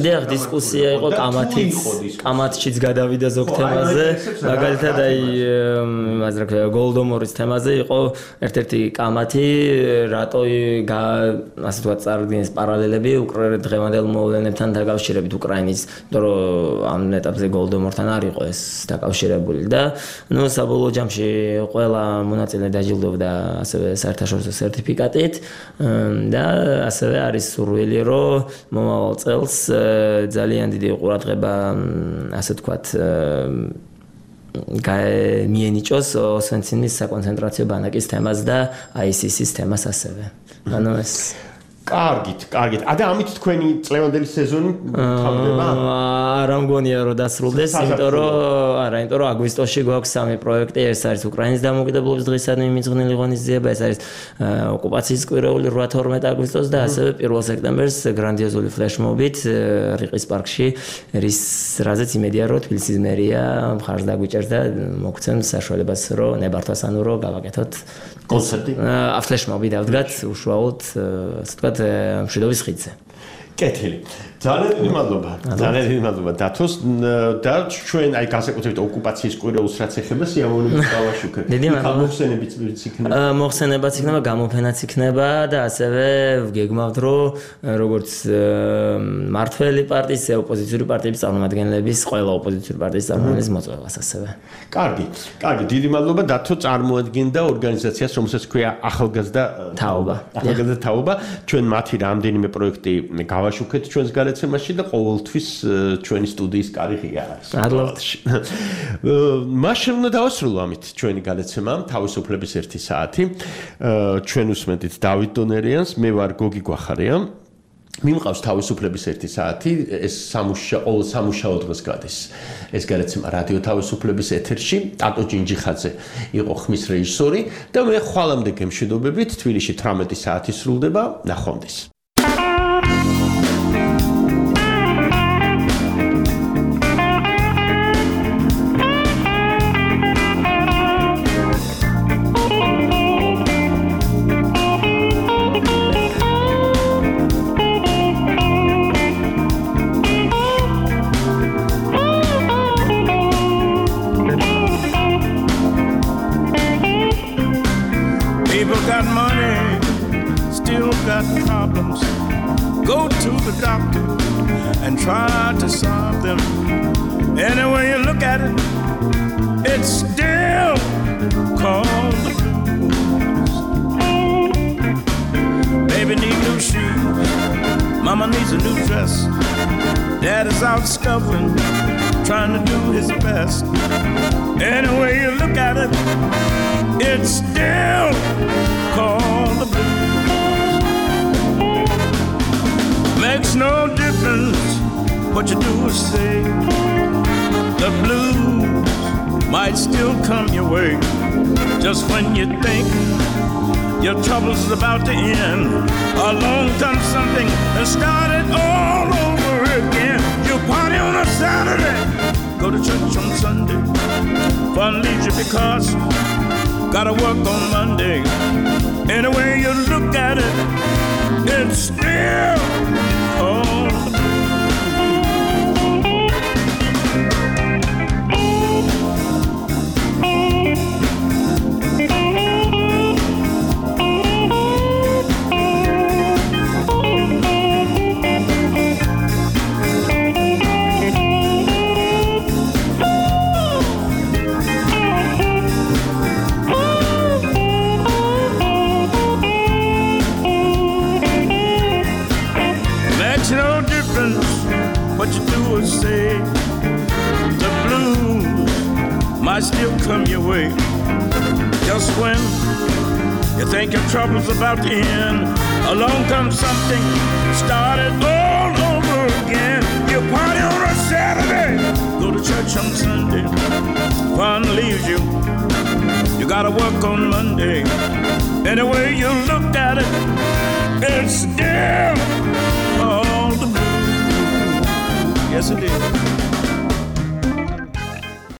დიახ დისკუსია იყო კამათიც კამათშიც გადავიდა ზოგ თემა მაგალითად აი იმაზე რა ქვია გოლდომორის თემაზე იყო ერთ-ერთი კამათი რატო ასე თქვა წარდგინეს პარალელები უკრაინის დღევანდელ მოვლენებთან დაკავშირებით უკრაინის რომ ამ ეტაპზე გოლდომორთან არ იყო ეს დაკავშირებული და ნუ საბოლოო ჯამში ყველა მონაწილე დაჯილდოვდა ასევე საერთაშორისო სერტიფიკატით და ასევე არის სურვილი რომ მომავალ წელს ძალიან დიდი ყურადღება ასე თქვა მიენიჭოს ოსვენცინის საკონცენტრაციო ბანაკის თემას და აი სი სის თემას ასევე. ანუ ეს კარგით, კარგით. და ამით თქვენი წლევანდელი სეზონი თავდება? არა მგონია რომ დასრულდეს, იმიტომ რომ არა, იმიტომ რომ აგვისტოში გვაქვს სამი პროექტი, ეს არის უკრაინის დამოუკიდებლობის დღისადმი მიძღვნილი ღონისძიება, ეს არის ოკუპაციის კვირეული რვა თორმეტი აგვისტოს და ასევე პირველ სექტემბერს გრანდიოზული ფლეშმობით რიყის პარკში, რის რაზეც იმედია რომ თბილისის მერია მხარს დაგვიჭერს და მოგცემს საშუალებას რომ ნებართვასანო რომ გავაკეთოთ კონცერტი. ფლეშმობი დავდგათ უშუალოდ ასე ვთქვათ მშვიდობის ხიდზე. კეთილი. ძალიან დიდი მადლობა. ძალიან დიდი მადლობა დათოს და ჩვენ აი განსაკუთრებით ოკუპაციის კვირეულს რაც ეხება სიამოვნებით გავაშუქეთ. დიდი მადლობა. მოხსენებიც იქნება. მოხსენებაც იქნება, გამოფენაც იქნება და ასევე ვგეგმავთ რომ როგორც მართველი პარტიის, ოპოზიციური პარტიების წარმომადგენლების, ყველა ოპოზიციური პარტიის წარმომადგენლის მოწვევას ასევე. კარგი. კარგი, დიდი მადლობა დათო წარმოადგენდა ორგანიზაციას, რომელსაც ქვია ახალგაზრდა თაობა. ახალგაზრდა თაობა. ჩვენ მათი რამდენიმე პროექტი გავაშუქეთ ჩვენს განაცემაში და ყოველთვის ჩვენი სტუდიის კარი ღია არის. მადლობთ. მაშინ უნდა დავასრულო ამით ჩვენი განაცემა თავისუფლების ერთი საათი. ჩვენ უსმენთ დავით დონერიანს, მე ვარ გოგი გვახარია. მიმყავს თავისუფლების ერთი საათი, ეს სამუშაო სამუშაო დღეს გადის. ეს განაცემა რადიო თავისუფლების ეთერში, ტატო ჯინჯიხაძე იყო ხმის რეჟისორი და მე ხვალამდე გემშვიდობებით თბილისში თვრამეტი საათი სრულდება, ნახვამდის. Trying to do his best. Any way you look at it, it's still called the blues. Makes no difference what you do or say. The blues might still come your way. Just when you think your trouble's about to end, along comes something and start it all over again. You party on a Saturday, go to church on Sunday, fun leisure because gotta work on Monday. Any way you look at it, it's still all the blues. What you do is say the blues might still come your way. Just when you think your trouble's about to end, along comes something started all over again. You party on a Saturday, go to church on Sunday, fun leaves you. You gotta work on Monday. Any way you look at it, it's still all the blues. Yes, it is.